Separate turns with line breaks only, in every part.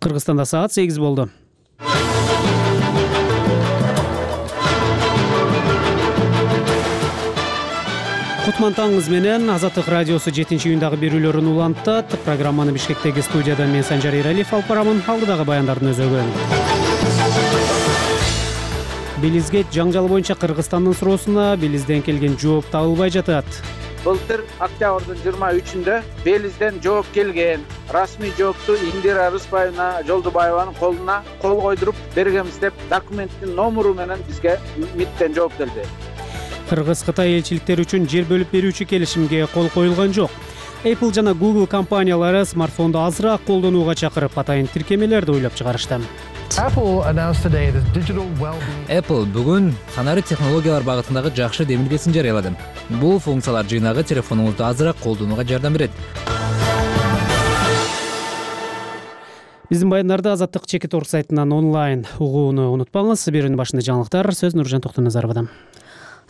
Кыргызстанда саат 8 болду. Кутман таңыңыз менен Азаттык радиосу 7-июндагы берүүлөрүн улантат. Программаны Бишкектеги студиядан мен Санжар Эралиев алып барамын. Алдыдагы баяндардын өзөгүн. Белизге жаңжал боюнча Кыргызстандын суроосуна Белизден келген жооп табылбай жатат.
Былтыр октябрдын 23-үндө Белизден жооп келген. Расмий жоопту Индира Рыспаевна Жолдубаеванын колуна кол койдуруп бергенбиз деп документтин номуру менен бизге МИДтен жооп келди.
Кыргыз-Кытай элчиликтери үчүн жер бөлүп берүүчү келишимге кол коюлган жок. Apple жана Google компаниялары смартфонду азыраак колдонууга чакырып, атайын тиркемелерди ойлоп чыгарышты.
Apple бүгүн санарип технологиялар багытындагы жакшы демилгесин жарыялады. Бул функциялар жыйнагы телефонуңузду азыраак колдонууга жардам берет.
Биздин баяндарды Азаттык Чекит Орг сайтынан онлайн угууну унутпаңыз. Берүүнүн башында жаңылыктар, сөз Нуржан Токтоназаровадан.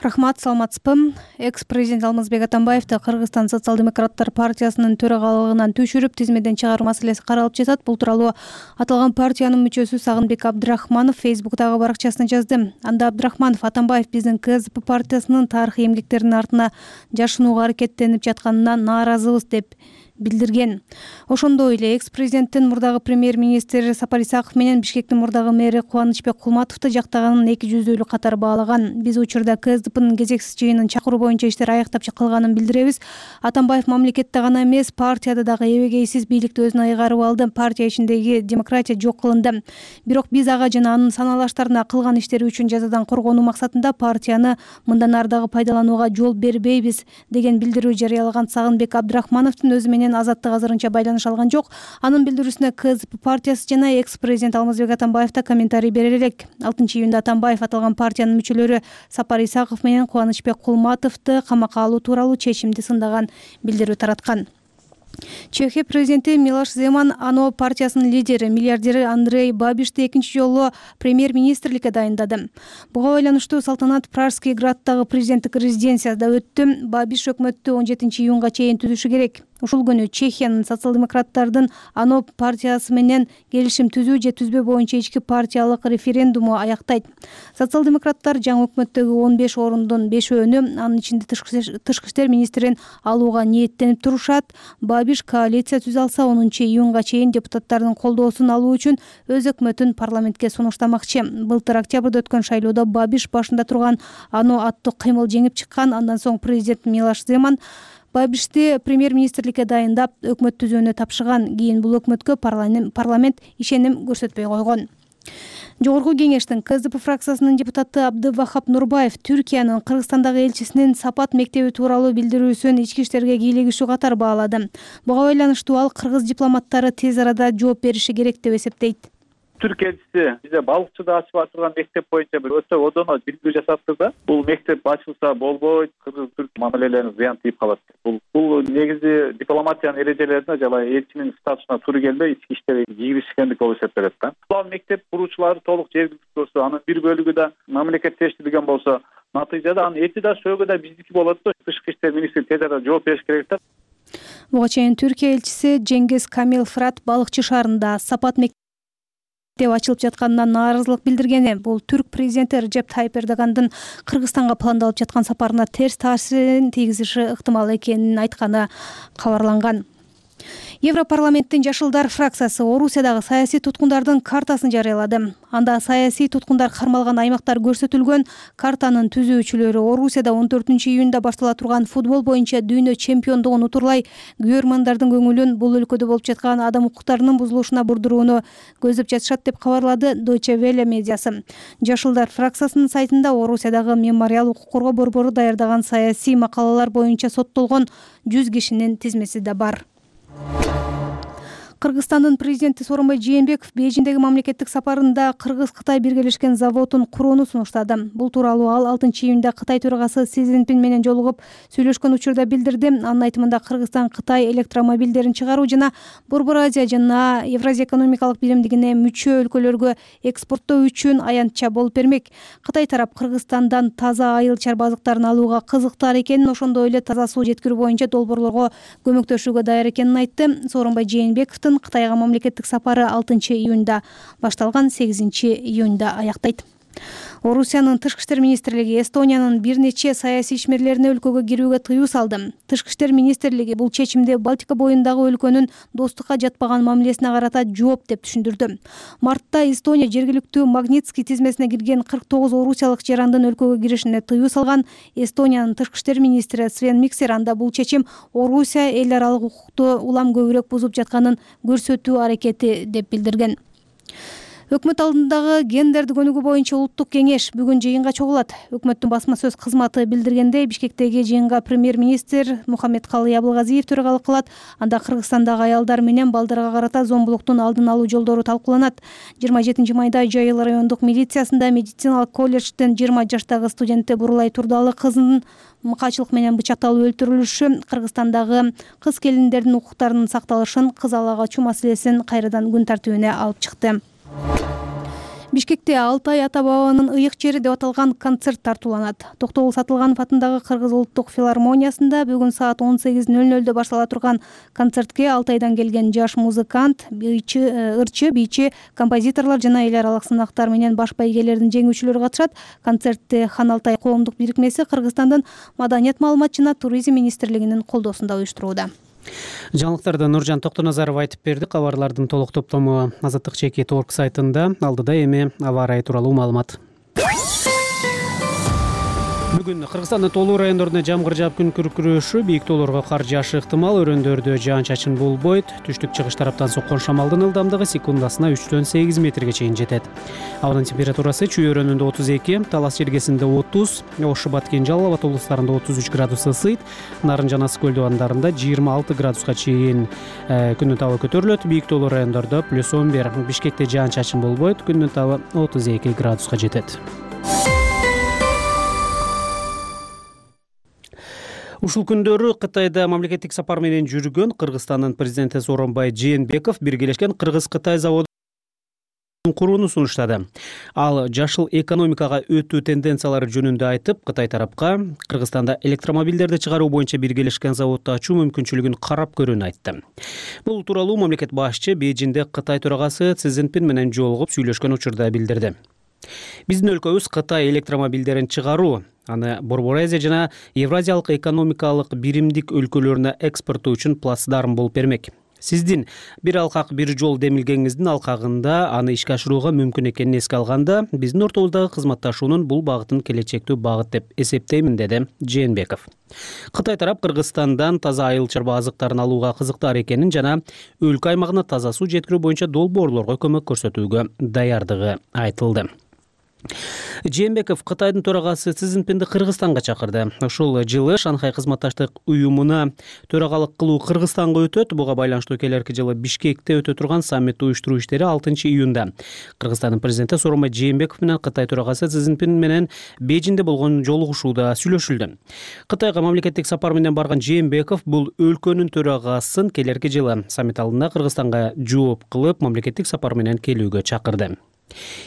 Рахмат, саламатсызбы. Экс-президент Алмазбек Атамбаевди Кыргызстан социал-демократтар партиясынын төрагалыгынан түшүрүп, тизмеден чыгаруу маселеси каралып жатат. Бул тууралуу аталган партиянын мүчөсү Сагынбек Абдрахманов Фейсбуктагы баракчасына жазды. Анда Абдрахманов Атамбаев биздин КСДП партиясынын тарыхый эмгектеринин артына жашынууга аракеттенип жатканына нааразыбыз деп билдирген. Ошондой эле экс-президенттин мурдагы премьер-министри Сапар Исаков менен Бишкектин мурдагы мэри Кубанычбек Кулматовду жактаганын эки жүздүүлүк катары баалаган. Биз учурда КСДПнын кезексиз жыйынын чакыруу боюнча иштер аяктап калганын билдиребиз. Атамбаев мамлекетте гана эмес, партияда дагы эбегейсиз бийликти өзүнө ыйгарып алды. Партия ичиндеги демократия жок кылынды. Бирок биз ага жана анын санаалаштарына кылган иштери үчүн жазадан коргонуу максатында партияны мындан ары дагы пайдаланууга жол бербейбиз деген билдирүү жарыялаган Сагынбек Абдрахмановдун өзү менен Азаттык азырынча байланыш алган жок. Анын билдирүүсүнө КСДП партиясы жана экс-президент Алмазбек Атамбаев да комментарий бере элек. 6-июнда Атамбаев аталган партиянын мүчөлөрү Сапар Исаков менен Кубанычбек Кулматовду камакка алуу тууралуу чечимди сындаган билдирүү тараткан. Чехия президенти Милош Земан ано партиясынын лидери, миллиардери Андрей Бабишти экинчи жолу премьер-министрликке дайындады. Буга байланыштуу салтанат Пражский граддагы президенттик резиденцияда өттү. Бабиш өкмөттү 17-июнга чейин түзүшү керек. Ушул күнү Чехиянын социал-демократтардын ано партиясы менен келишим түзүү же түзбөө боюнча ички партиялык референдуму аяктайт. Социал-демократтар жаңы өкмөттөгү 15 орундун 5-өөнү, анын ичинде тышкы иштер министрин алууга ниеттенип турушат. Бабиш коалиция түзө алса 10-июнга чейин депутаттардын колдоосун алуу үчүн өз өкмөтүн парламентке сунуштамакчы. Былтыр октябрда өткөн шайлоодо Бабиш башында турган ано аттуу кыймыл жеңип чыккан. Андан соң президент Милош Земан Бабишти премьер-министрликке дайындап, өкмөт түзүүнү тапшырган. Кийин бул өкмөткө парламент ишеним көрсөтпөй койгон. Жогорку кеңештин КСДП фракциясынын депутаты Абдывахап Нурбаев Түркиянын Кыргызстандагы элчисинин Сапат мектеби тууралуу билдирүүсүн ички иштерге кийлигишүү катары баалады. Буга байланыштуу ал кыргыз дипломаттары тез арада жооп бериши керек деп эсептейт.
Түрк элчиси бизде балыкчыда ачып атырган мектеп боюнча бир өтө одоно билдирүү жасаптыр да. Бул мектеп ачылса болбойт, кыргыз-түрк мамилелерине зыян тийип калат. Бул негизи дипломатиянын эрежелерине жана элчинин статусуна туура келбей, ички иштерге кийгизишкендик болуп эсептелет да. Бул мектеп куруучулары толук жергиликтүү болсо, анын бир бөлүгү да мамлекеттештирилген болсо, натыйжада анын эти да сөөгү да биздики болот да. Тышкы иштер министри тез арада жооп бериш керек да.
Буга чейин Түркия элчиси Жеңгиз Камил Фрат балыкчы шаарында Сапат деп ачылып жатканына нааразылык билдиргени, бул түрк президенти Режеп Тайип Эрдогандын Кыргызстанга пландалып жаткан сапарына терс таасирин тийгизиши ыктымал экенин айтканы кабарланган. Европарламенттин Жашылдар фракциясы Орусиядагы саясий туткундардын картасын жарыялады. Анда саясий туткундар кармалган аймактар көрсөтүлгөн. Картанын түзүүчүлөрү Орусияда 14-июнда баштала турган футбол боюнча дүйнө чемпиондугун утурлай, көрөрмандардын көңүлүн бул өлкөдө болуп жаткан адам укуктарынын бузулушуна бурдурууну көздөп жатышат деп кабарлады Deutsche Welle медиасы. Жашылдар фракциясынын сайтында Орусиядагы мемориал укук коргоо борбору даярдаган саясий макалалар боюнча соттолгон 100 кишинин тизмеси да бар. Кыргызстандын президенти Сооронбай Жээнбеков Бейжиңдеги мамлекеттик сапарында Кыргыз-Кытай биргелешкен заводун курууну сунуштады. Бул тууралуу ал 6-июнда Кытай төрагасы Си Цзиньпин менен жолугуп сүйлөшкөн учурда билдирди. Анын айтымында Кыргызстан Кытай электромобилдерин чыгаруу жана Борбор Азия жана Евразия экономикалык биримдигине мүчө өлкөлөргө экспорттоо үчүн аянтча болуп бермек. Кытай тарап Кыргызстандан таза айыл чарба азыктарын алууга кызыктар экенин, ошондой эле таза суу жеткирүү боюнча долбоорлорго көмөктөшүүгө даяр экенин айтты. Сооронбай Жээнбековдун Мирзиёевдин Кытайга мамлекеттик сапары 6-июнда башталган, 8-июнда аяктайт. Орусиянын тышкы иштер министрлиги Эстониянын бир нече саясий ишмерлерине өлкөгө кирүүгө тыюу салды. Тышкы иштер министрлиги бул чечимди Балтика боюндагы өлкөнүн достукка жатпаган мамилесине карата жооп деп түшүндүрдү. Мартта Эстония жергиликтүү Магнитский тизмесине кирген 49 орусиялык жарандын өлкөгө киришине тыюу салган. Эстониянын тышкы иштер министри Свен Миксер анда бул чечим Орусия эл аралык укукту улам көбүрөөк бузуп жатканын көрсөтүү аракети деп билдирген. Өкмөт алдындагы гендерди көнүгүү боюнча улуттук кеңеш бүгүн жыйынга чогулат. Өкмөттүн басма сөз кызматы билдиргендей, Бишкектеги жыйынга премьер-министр Мухаммедкалый Абылгазиев төрөгалык кылат. Анда Кыргызстандагы аялдар менен балдарга карата зомбулуктун алдын алуу жолдору талкууланат. 27 майда Жайыл райондук милициясында медициналык колледжден 20 жаштагы студентти Бурулай Турдалы кызынын мыкаачылык менен бычакталып өлтүрүлүшү Кыргызстандагы кыз келиндердин укуктарынын сакталышын, кыз ала качуу маселесин кайрадан күн тартибине алып чыкты. Бишкекте Алтай ата-бабанын ыйык жери деп аталган концерт тартууланат. Токтогул Сатылганов атындагы Кыргыз улуттук филармониясында бүгүн саат 18:00 баштала турган концертке Алтайдан келген жаш музыкант, ырчы, бийчи, композиторлор жана эл аралык сынактар менен баш байгелердин жеңүүчүлөрү катышат. Концертти Хан Алтай коомдук бирикмеси Кыргызстандын Маданият, маалымат жана туризм министрлигинин колдоосунда уюштурууда.
Жаңылыктарды Нуржан Токтоназаров айтып берди. Кабарлардын толук топтому Азаттык ЧК.org сайтында. Алдыда эми аба ырайы тууралуу маалымат. Бүгүн Кыргызстандын тоолуу райондорунда жамгыр жаап күн күркүрөшү, бийик тоолорго кар жаашы ыктымал, өрөөндөрдө жаан-чачын болбойт. Түштүк-чыгыш тараптан соккон шамалдын ылдамдыгы секундасына 3-8 метрге чейин жетет. Абанын температурасы Чүй өрөөнүндө 32, Талас жергесинде 30, Ош, Баткен, Жалал Абад облустарында 33 градус ысыйт, Нарын жана Ысык көлдү 26 градуска чейин күндүн табы көтөрүлөт. Бийик тоолуу райондордо +11, Бишкекте жаан-чачын болбойт, күндүн табы 32 градуска жетет. Ушул күндөрү Кытайда мамлекеттик сапар менен жүргөн Кыргызстандын президенти Сооронбай Жээнбеков биргелешкен Кыргыз-Кытай заводун курууну сунуштады. Ал жашыл экономикага өтүү тенденциялары жөнүндө айтып, Кытай тарапка Кыргызстанда электромобилдерди чыгаруу боюнча биргелешкен заводду ачуу мүмкүнчүлүгүн карап көрүүнү айтты. Бул тууралуу мамлекет башчы Бейжиңде Кытай төрагасы Си Цзиньпин менен жолугуп сүйлөшкөн учурда билдирди. Биздин өлкөбүз Кытай электромобилдерин чыгаруу, аны Борбор Азия жана Евразиялык экономикалык биримдик өлкөлөрүнө экспорттоо үчүн плацдарм болуп бермек. Сиздин бир алкак бир жол демилгеңиздин алкагында аны ишке ашырууга мүмкүн экенин эске алганда, биздин ортобуздагы кызматташуунун бул багытын келечектүү багыт деп эсептеймин, деди Жээнбеков. Кытай тарап Кыргызстандан таза айыл чарба азыктарын алууга кызыктар экенин жана өлкө аймагына таза суу жеткирүү боюнча долбоорлорго көмөк көрсөтүүгө даярдыгы айтылды. Жээнбеков Кытайдын төрагасы Си Цзиньпинди Кыргызстанга чакырды. Ушул жылы Шанхай кызматташтык уюмуна төрагалык кылуу Кыргызстанга өтөт. Буга байланыштуу келерки жылы Бишкекте өтө турган саммитти уюштуруу иштери 6-июнда. Кыргызстандын президенти Сооронбай Жээнбеков менен Кытай төрагасы Си Цзиньпин менен Бейжиңде болгон жолугушууда сүйлөшүлдү. Кытайга мамлекеттик сапар менен барган Жээнбеков бул өлкөнүн төрагасын келерки жылы саммит алдында Кыргызстанга жооп кылып, мамлекеттик сапар менен келүүгө чакырды.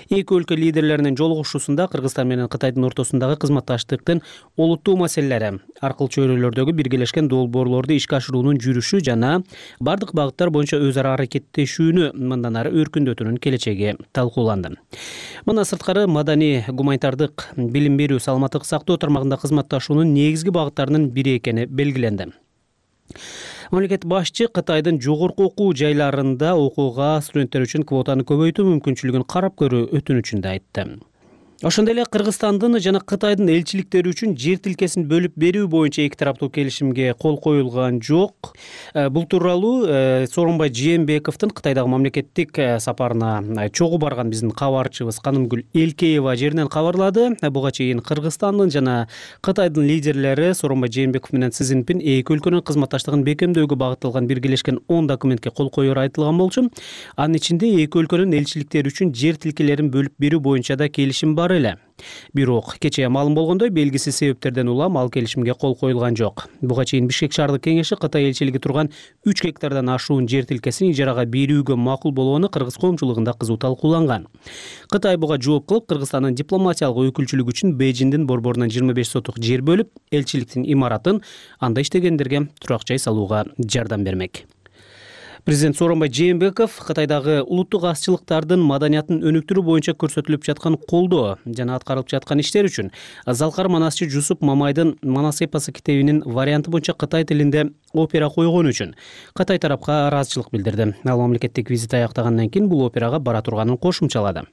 Эки өлкө лидерлеринин жолугушуусунда Кыргызстан менен Кытайдын ортосундагы кызматташтыктын олуттуу маселелери, аркыл чөйрөлөрдөгү биргелешкен долбоорлорду ишке ашыруунун жүрүшү жана бардык багыттар боюнча өз ара аракеттешүүнү мындан ары өркүндөтүүнүн келечеги талкууланды. Мына сырткары маданий, гуманитардык, билим берүү, саламаттык сактоо тармагында кызматташуунун негизги багыттарынын бири экени белгиленди. Мамлекет башчы Кытайдын жогорку окуу жайларында окууга студенттер үчүн квотаны көбөйтүү мүмкүнчүлүгүн карап көрүү өтүнүчүн да айтты. Ошондой эле Кыргызстандын жана Кытайдын элчиликтери үчүн жер тилкесин бөлүп берүү боюнча эки тараптуу келишимге кол коюлган жок. Бул тууралуу Сооронбай Жээнбековдун Кытайдагы мамлекеттик сапарына чогуу барган биздин кабарчыбыз Канымгүл Элкеева жеринен кабарлады. Буга чейин Кыргызстандын жана Кытайдын лидерлери Сооронбай Жээнбеков менен Си Цзиньпин эки өлкөнүн кызматташтыгын бекемдөөгө багытталган биргелешкен 10 документке кол коюру айтылган болчу. Анын ичинде эки өлкөнүн элчиликтери үчүн жер тилкелерин бөлүп берүү боюнча да келишим бар эле. Бирок кечээ маалым болгондой, белгисиз себептерден улам ал келишимге кол коюлган жок. Буга чейин Бишкек шаардык кеңеши Кытай элчилиги турган 3 гектардан ашуун жер тилкесин ижарага берүүгө макул болоону кыргыз коомчулугунда кызуу талкууланган. Кытай буга жооп кылып, Кыргызстандын дипломатиялык өкүлчүлүгү үчүн Бейжиңдин борборунан 25 сотук жер бөлүп, элчиликтин имаратын анда иштегендерге турак жай салууга жардам бермек. Президент Сооронбай Жээнбеков Кытайдагы улуттук азчылыктардын маданиятын өнүктүрүү боюнча көрсөтүлүп жаткан колдоо жана аткарылып жаткан иштер үчүн Залкар Манасчы Жусуп Мамайдын Манас эпосу китебинин варианты боюнча Кытай тилинде опера койгону үчүн Кытай тарапка ыраазычылык билдирди. Ал мамлекеттик визит аяктагандан кийин бул операга бара турганын кошумчалады.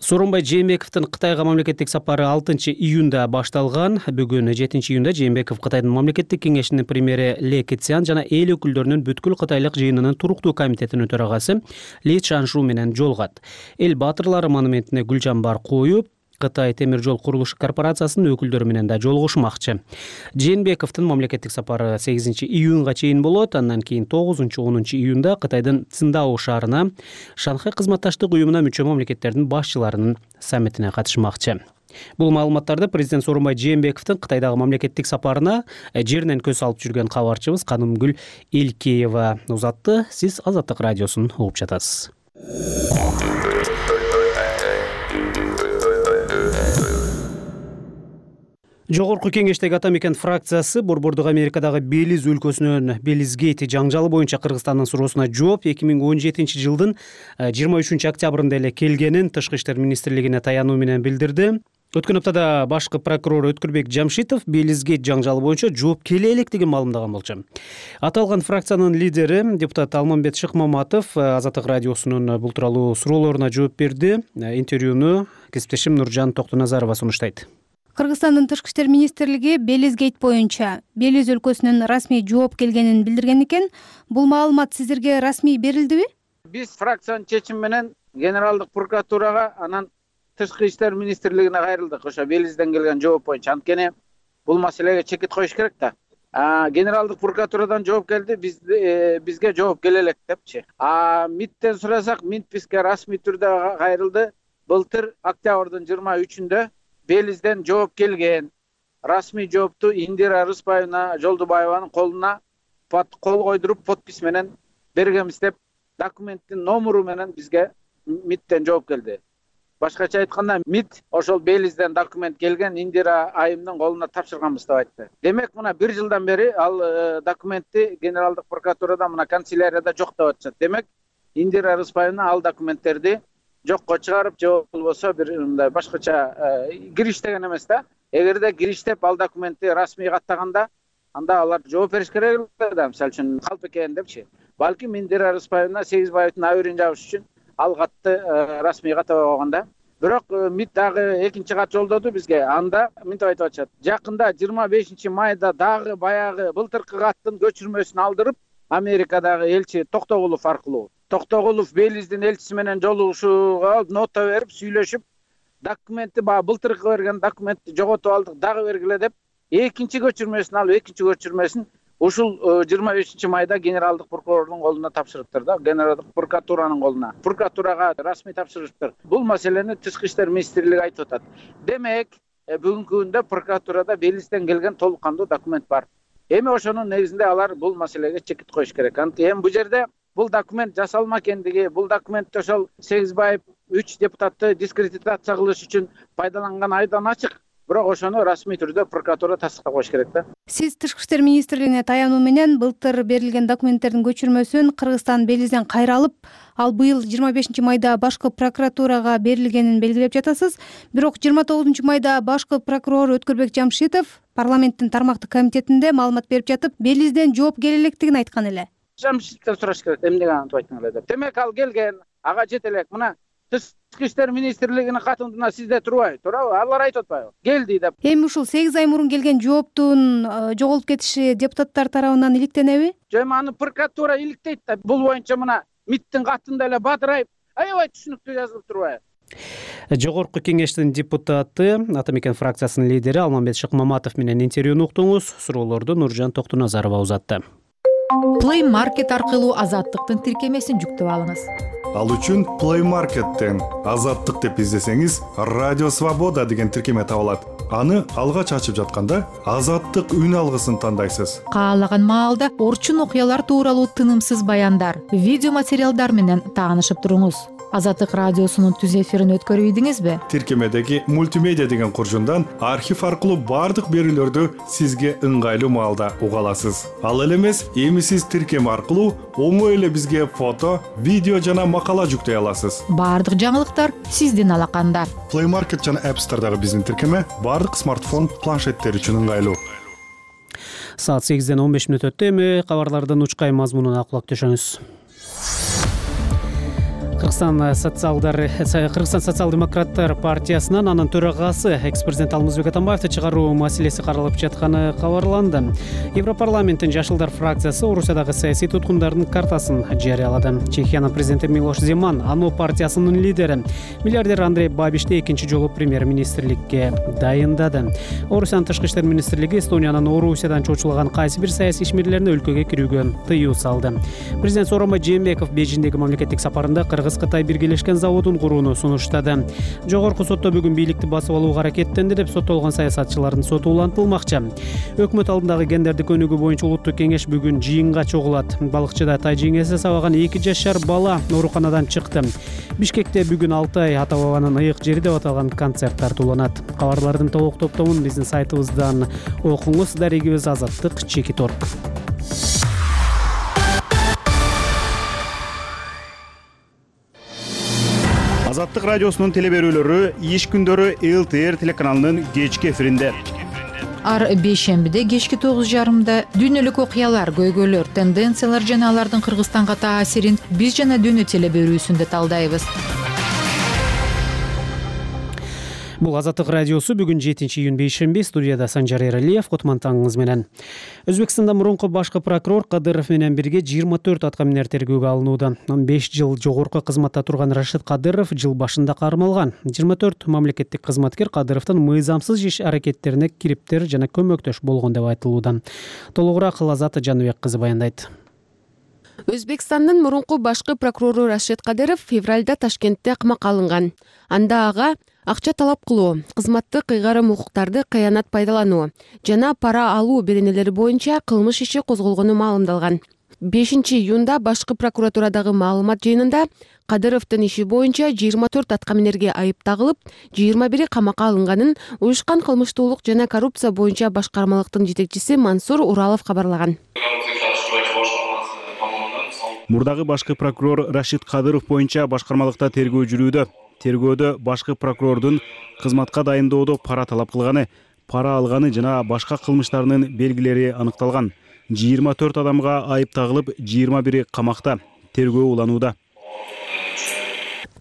Сооронбай Жээнбековдун Кытайга мамлекеттик сапары 6-июнда башталган. Бүгүн 7-июнда Жээнбеков Кытайдын мамлекеттик кеңешинин премьери Ли Кэцян жана эл өкүлдөрүнүн бүткүл кытайлык жыйынынын туруктуу комитетинин төрагасы Ли Чаншу менен жолугат. Эл баатырлары монументине гүл жамбар коюп, Кытай темир жол курулуш корпорациясынын өкүлдөрү менен да жолугушмакчы. Жээнбековдун мамлекеттик сапары 8-июнга чейин болот. Андан кийин 9-10 июнда Кытайдын Циндао шаарына Шанхай кызматташтык уюмуна мүчө мамлекеттердин башчыларынын саммитине катышмакчы. Бул маалыматтарды президент Сооронбай Жээнбековдун Кытайдагы мамлекеттик сапарына жеринен көз алып жүргөн кабарчыбыз Канымгүл Элкеева узатты. Сиз Азаттык радиосун угуп жатасыз. Жогорку кеңештеги Ата мекен фракциясы Борбордук Америкадагы Белиз өлкөсүнүн Белизгейт жаңжалы боюнча Кыргызстандын суроосуна жооп 2017 жылдын 23 октябрында эле келгенин Тышкы иштер министрлигине таянуу менен билдирди. Өткөн аптада башкы прокурор Өткүрбек Жамшитов Белизгейт жаңжалы боюнча жооп келе электигин маалымдаган болчу. Аталган фракциянын лидери депутат Алмамбет Шыкмаматов Азаттык радиосунун бул тууралуу суроолоруна жооп берди. Интервьюну кесиптешим Нуржан Токтуназарова сунуштайт.
Кыргызстандын Тышкы иштер министрлиги Белизгейт боюнча Белиз өлкөсүнөн расмий жооп келгенин билдирген экен. Бул маалымат сиздерге расмий берилдиби?
Биз фракциянын чечими менен Генералдык прокуратурага анан Тышкы иштер министрлигине кайрылдык. Ошо Белизден келген жооп боюнча. Анткени бул маселеге чекит коюш керек да. Генералдык прокуратурадан жооп келди, бизге жооп келе элек депчи. МИДтен сурасак, МИД бизге расмий түрдө кайрылды. Былтыр октябрдын 23-үндө Белизден жооп келген. Расмий жоопту Индира Рыспаевна Жолдубаеванын колуна кол койдуруп подпись менен бергенбиз деп документтин номеру менен бизге МИДтен жооп келди. Башкача айтканда МИД ошол Белизден документ келген Индира айымдын колуна тапшырганбыз деп айтты. Демек мына 1 жылдан бери ал документти Генералдык прокуратурада мына канцелярияда жок деп атышат. Демек Индира Рыспаевна ал документтерди жокко чыгарып, же болбосо бир мындай башкача кириштеген эмес да. Эгерде кириштеп ал документти расмий каттаганда, анда алар жооп бериш керек да, мисалы үчүн калп экен депчи. Балким Индира Рыспаевна Сегизбаевдин абийирин жабыш үчүн ал катты расмий каттабай койгон да. Бирок МИД дагы экинчи кат жолдоду бизге. Анда мынтип айтып атышат. Жакында 25 майда дагы баягы былтыркы каттын көчүрмөсүн алдырып, Америкадагы элчи Токтогулов аркылуу Токтогулов Белиздин элчиси менен жолугушууга нота берип, сүйлөшүп, документти былтыркы берген документти жоготуп алдык, дагы бергиле деп, экинчи көчүрмөсүн алып, экинчи көчүрмөсүн ушул 25 майда генералдык прокурордун колуна тапшырыптыр да, генералдык прокуратуранын колуна. Прокуратурага расмий тапшырыптыр. Бул маселени Тышкы иштер министрлиги айтып атат. Демек, бүгүнкү күндө прокуратурада Белизден келген толук кандуу документ бар. Эми ошонун негизинде алар бул маселеге чекит коюш керек. Эми бул жерде бул документ жасалма экендиги, бул документти ошол Сегизбаев 3 депутатты дискредитация кылыш үчүн пайдаланган айдан ачык. Бирок ошону расмий түрдө прокуратура тастыкка коюш керек да.
Сиз Тышкы иштер министрлигине таянуу менен былтыр берилген документтердин көчүрмөсүн Кыргызстан Белизден кайра алып, ал быйыл 25 майда башкы прокуратурага берилгенин белгилеп жатасыз. Бирок 29 майда башкы прокурор Өткүрбек Жамшитов парламенттин тармактык комитетинде маалымат берип жатып, Белизден жооп келе электигин айткан эле.
Жамшитовдон сураш керек, эмнеге антип айттың эле деп. Демек ал келген, ага жете элек. Мына Тышкы иштер министрлигинин катында сизде турбайбы? Туурабы? Алар айтып атпайбы? Келди деп.
Эми ушул 8 ай мурун келген жооптун жоголуп кетиши депутаттар тарабынан иликтенеби?
Эми аны прокуратура иликтейт да. Бул боюнча мына МИДтин катында эле бадырайып, аябай түшүнүктүү жазылып турбайбы?
Жогорку кеңештин депутаты, Ата мекен фракциясынын лидери Алмамбет Шыкмаматов менен интервьюну уктуңуз. Суроолорду Нуржан Токтуназарова узатты.
Play Market аркылуу Азаттыктын тиркемесин жүктөп алыңыз.
Ал үчүн Play Market'тен Азаттык деп издесеңиз, Радио Свобода деген тиркеме табылат. Аны алгач ачып жатканда Азаттык үн алгысын тандайсыз.
Каалаган маалда орчун окуялар тууралуу тынымсыз баяндар, видео материалдар менен таанышып туруңуз. Азаттык радиосунун түз эфирин өткөрүп ийдиңизби?
Тиркемедеги мультимедиа деген куржундан архив аркылуу баардык берүүлөрдү сизге ыңгайлуу маалда уга аласыз. Ал эле эмес, эми сиз тиркеме аркылуу оңой эле бизге фото, видео жана макала жүктөй аласыз.
Баардык жаңылыктар сиздин алаканда.
Play Market жана App Store'дагы биздин тиркеме баардык смартфон, планшеттер үчүн ыңгайлуу.
Саат 8:15 өттү. Эми кабарлардын учкай мазмунуна кулак төшөңүз. Кыргызстан социал-демократтар партиясынын анын төрагасы экс-президент Алмазбек Атамбаевди чыгаруу маселеси каралып жатканы кабарланды. Европарламенттин Жашылдар фракциясы Орусиядагы саясий туткундардын картасын жарыялады. Чехиянын президенти Милош Земан, АНО партиясынын лидери миллиардер Андрей Бабишти экинчи жолу премьер-министрликке дайындады. Орусиянын тышкы иштер министрлиги Эстониянын Орусиядан чочулаган кайсы бир саясий ишмерлерине өлкөгө кирүүгө тыюу салды. Президент Сооронбай Жээнбеков Бейжиңдеги мамлекеттик сапарында Кытай биргелешкен заводун курууну сунуштады. Жогорку сотто бүгүн бийликти басып алууга аракеттенди деп соттолгон саясатчылардын соту улантылмакчы. Өкмөт алдындагы гендердик өнүгүү боюнча улуттук кеңеш бүгүн жыйынга чогулат. Балыкчыда тай жеңеси сабаган 2 жашар бала ооруканадан чыкты. Бишкекте бүгүн Алтай ата бабанын ыйык жери деп аталган концерт тартууланат. Кабарлардын толук топтомун биздин сайтыбыздан окуңуз. Дарегибиз Азаттык Чекит.орг.
Азаттык радиосунун телеберүүлөрү иш күндөрү ЛТР телеканалынын кечки эфиринде.
Ар бейшембиде кечки 9:30 дүйнөлүк окуялар, көйгөйлөр, тенденциялар жана алардын Кыргызстанга таасирин биз жана дүйнө телеберүүсүндө талдайбыз.
Бул Азаттык радиосу бүгүн 7-июнь бейшемби. Студияда Санжар Эралиев, Котмантаңыңыз менен. Өзбекстанда мурунку башкы прокурор Кадыров менен бирге 24 аткаминер тергөөгө алынууда. 5 жыл жогорку кызматта турган Рашид Кадыров жыл башында кармалган. 24 мамлекеттик кызматкер Кадыровдун мыйзамсыз иш аракеттерине кириптер жана көмөктөш болгон деп айтылууда. Толугураак Лазат Жаныбек кызы баяндайт.
Өзбекстандын мурунку башкы прокурору Рашид Кадыров февралда Ташкентте камакка алынган. Анда ага акча талап кылуу, кызматтык ыйгарым укуктарды кыянат пайдалануу жана пара алуу беренелери боюнча кылмыш иши козголгону маалымдалган. 5-июнда башкы прокуратурадагы маалымат жыйынында Кадыровдун иши боюнча 24 аткаминерге айып тагылып, 21 камакка алынганын уюшкан кылмыштуулук жана коррупция боюнча башкармалыктын жетекчиси Мансур Уралов кабарлаган.
Мурдагы башкы прокурор Рашид Кадыров боюнча башкармалыкта тергөө жүрүүдө. Тергөөдө башкы прокурордун кызматка дайындоодо пара талап кылганы, пара алганы жана башка кылмыштарынын белгилери аныкталган. 24 адамга айып тагылып, 21 камакта. Тергөө уланууда.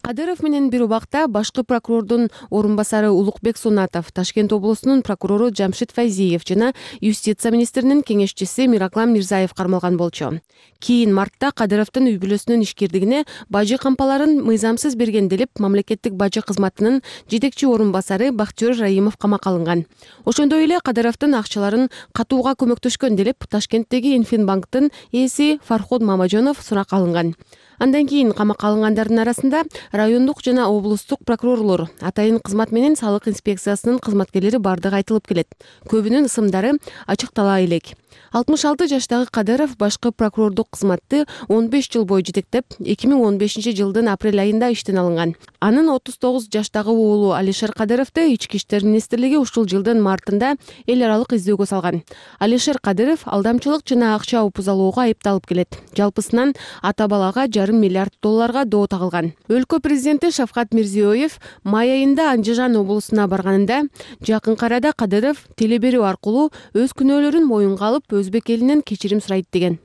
Кадыров менен бир убакта башкы прокурордун орун басары Улукбек Сунатов, Ташкент облусунун прокурору Жамшит Файзиев жана юстиция министринин кеңешчиси Мираклам Мирзаев кармалган болчу. Кийин мартта Кадыровдун үй бүлөсүнүн ишкерлигине бажы кампаларын мыйзамсыз берген делип мамлекеттик бажы кызматынын жетекчи орун басары Бактиёр Раимов камакка алынган. Ошондой эле Кадыровдун акчаларын катууга көмөктөшкөн делип Ташкенттеги Инфинбанктын ээси Фарход Мамажонов суракка алынган. Андан кийин камакка алынгандардын арасында райондук жана облустук прокурорлор, атайын кызмат менен салык инспекциясынын кызматкерлери бардыгы айтылып келет. Көбүнүн ысымдары ачыктала элек. 66 жаштагы Кадыров башкы прокурордук кызматты 15 жыл бою жетектеп, 2015 жылдын апрель айында иштен алынган. Анын 39 жаштагы уулу Алишер Кадыровду Ички иштер министрлиги ушул жылдын мартында эл аралык издөөгө салган. Алишер Кадыров алдамчылык жана акча упузалоого айыпталып келет. Жалпысынан ата балага $500 миллиард доо тагылган. Өлкө президенти Шавкат Мирзиёев май айында Андижан облусуна барганында жакынкы арада Кадыров телеберүү аркылуу өз күнөөлөрүн моюнга алып, өзбек элинен кечирим сурайт деген.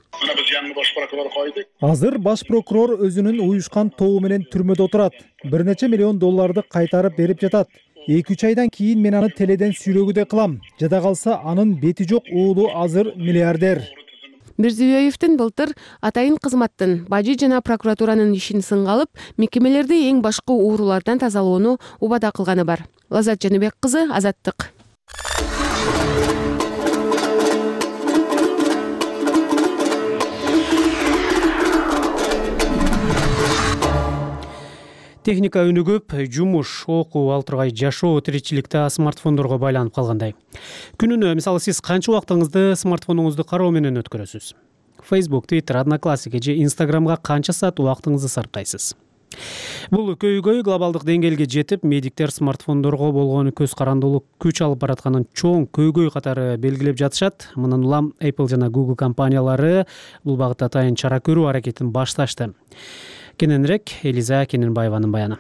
Азыр баш прокурор өзүнүн уюшкан тобу менен түрмөдө отурат. $1 нече миллион кайтарып берип жатат. 2-3 айдан кийин мен аны теледен сүйлөгүдөй кылам. Жада калса анын бети жок уулу азыр миллиардер.
Мирзиёевдин былтыр атайын кызматтын бажы жана прокуратуранын ишин сынга алып, мекемелерди эң башкы уурулардан тазалоону убада кылганы бар. Лазат Жаныбек кызы, Азаттык.
Техника өнүгүп, жумуш, окуу, ал тургай жашоо, тиричиликте смартфондорго байланып калгандай. Күнүнө, мисалы, сиз канча убактыңызды смартфонуңузду кароо менен өткөрөсүз? Facebook, Twitter, Одноклассники же Instagramга канча саат убактыңызды сарптайсыз? Бул көйгөй глобалдык деңгээлге жетип, медиктер смартфондорго болгон көз карандылык күч алып баратканын чоң көйгөй катары белгилеп жатышат. Мындан улам Apple жана Google компаниялары бул багытта атайын чара көрүү аракетин башташты. Кененирээк Элиза Кененбаеванын баяны.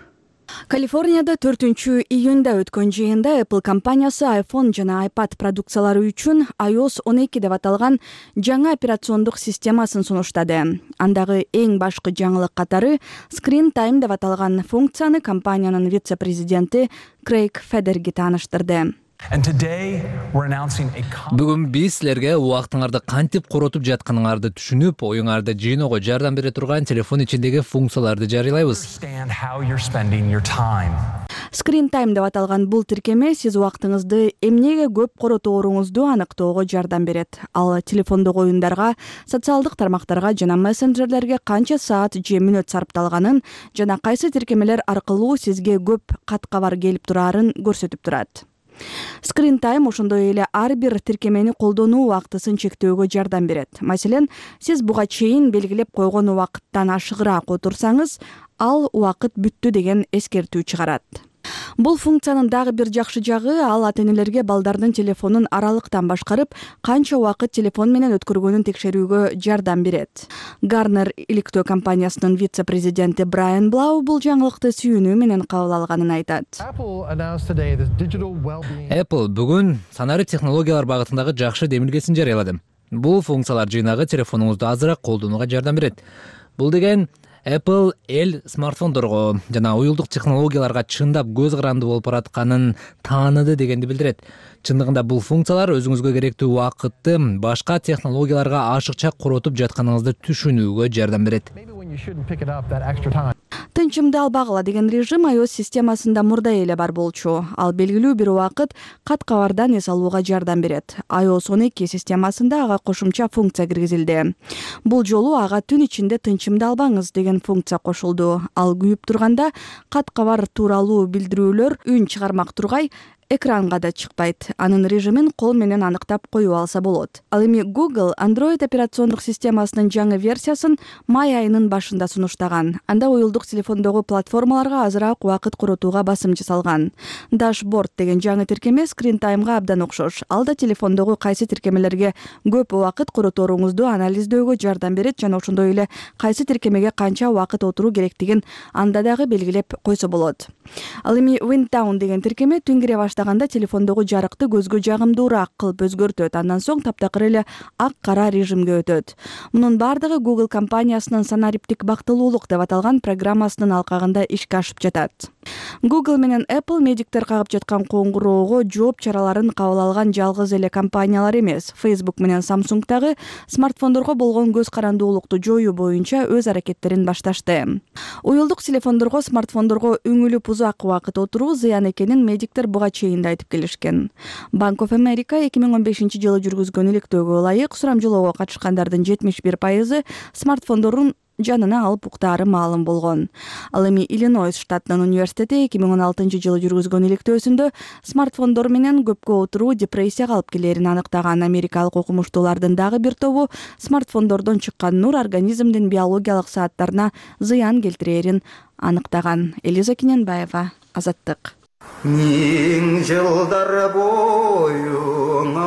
Калифорнияда 4-июнда өткөн жыйында Apple компаниясы iPhone жана iPad продукциялары үчүн iOS 12 деп аталган жаңы операциондук системасын сунуштады. Андагы эң башкы жаңылык катары Screen Time деп аталган функцияны компаниянын вице-президенти Крейг Федерги тааныштырды.
Бүгүн биз силерге убактыңарды кантип коротуп жатканыңарды түшүнүп, оюңарды жыйноого жардам бере турган телефон ичиндеги функцияларды жарыйлайбыз.
Screen Time деп аталган бул тиркеме сиз убактыңызды эмнеге көп коротооруңузду аныктоого жардам берет. Ал телефондогу оюндарга, социалдык тармактарга жана мессенджерлерге канча саат же мүнөт сарпталганын жана кайсы тиркемелер аркылуу сизге көп кат-кабар келип турарын көрсөтүп турат. Screen Time ошондой эле ар бир тиркемени колдонуу убактысын чектөөгө жардам берет. Маселен, сиз буга чейин белгилеп койгон убакыттан ашыгыраак отурсаңыз, ал убакыт бүттү деген эскертүү чыгарат. Бул функциянын дагы бир жакшы жагы, ал ата-энелерге балдардын телефонун аралыктан башкарып, канча убакыт телефон менен өткөргөнүн текшерүүгө жардам берет. Gartner иликтөө компаниясынын вице-президенти Брайан Блау бул жаңылыкты сүйүнүү менен кабыл алганын айтат.
Apple бүгүн санарип технологиялар багытындагы жакшы демилгесин жарыялады. Бул функциялар жыйнагы телефонуңузду азыраак колдонууга жардам берет. Бул деген Apple смартфондорго жана уюлдук технологияларга чындап көз каранды болуп баратканын тааныды дегенди билдирет. Чындыгында бул функциялар өзүңүзгө керектүү убакытты башка технологияларга ашыкча коротуп жатканыңызды түшүнүүгө жардам берет.
Тынчымды албагыла деген режим iOS системасында мурда эле бар болчу. Ал белгилүү бир убакыт кат-кабардан эс алууга жардам берет. iOS 12 системасында ага кошумча функция киргизилди. Бул жолу ага түн ичинде тынчымды албаңыз деген функция кошулду. Ал күйүп турганда кат-кабар тууралуу билдирүүлөр үн чыгармак тургай, экранга да чыкпайт. Анын режимин кол менен аныктап коюп алса болот. Ал эми Google Android операциондук системасынын жаңы версиясын май айынын башында сунуштаган. Анда уюлдук телефондогу платформаларга азыраак убакыт коротууга басым жасалган. Dashboard деген жаңы тиркеме Screen Time'га абдан окшош. Ал да телефондогу кайсы тиркемелерге көп убакыт коротооруңузду анализдөөгө жардам берет жана ошондой эле кайсы тиркемеге канча убакыт отуруу керектигин анда дагы белгилеп койсо болот. Ал эми Wind Down деген тиркеме түн кире баштаганда телефондогу жарыкты көзгө жагымдуураак кылып өзгөртөт. Андан соң таптакыр эле ак-кара режимге өтөт. Мунун бардыгы Google компаниясынын санариптик бактылуулук деп аталган программасынын алкагында ишке ашып жатат. Google менен Apple медиктер кагып жаткан коңгуроого жооп чараларын кабыл алган жалгыз эле компаниялар эмес. Facebook менен Samsung дагы смартфондорго болгон көз карандуулукту жоюу боюнча өз аракеттерин башташты. Уюлдук телефондорго, смартфондорго үңүлүп узак убакыт отуруу зыян экенин медиктер буга чейин да айтып келишкен. Bank of America 2015-жылы жүргүзгөн иликтөөгө ылайык сурамжылоого катышкандардын 71% смартфондорун жанына алып уктаары маалым болгон. Ал эми Иллинойс штатынын университети 2016-жылы жүргүзгөн иликтөөсүндө смартфондор менен көпкө отуруу депрессияга алып келерин аныктаган. Америкалык окумуштуулардын дагы бир тобу смартфондордон чыккан нур организмдин биологиялык сааттарына зыян келтирерин аныктаган. Элиза Кененбаева, Азаттык.
Миң жылдар боюңа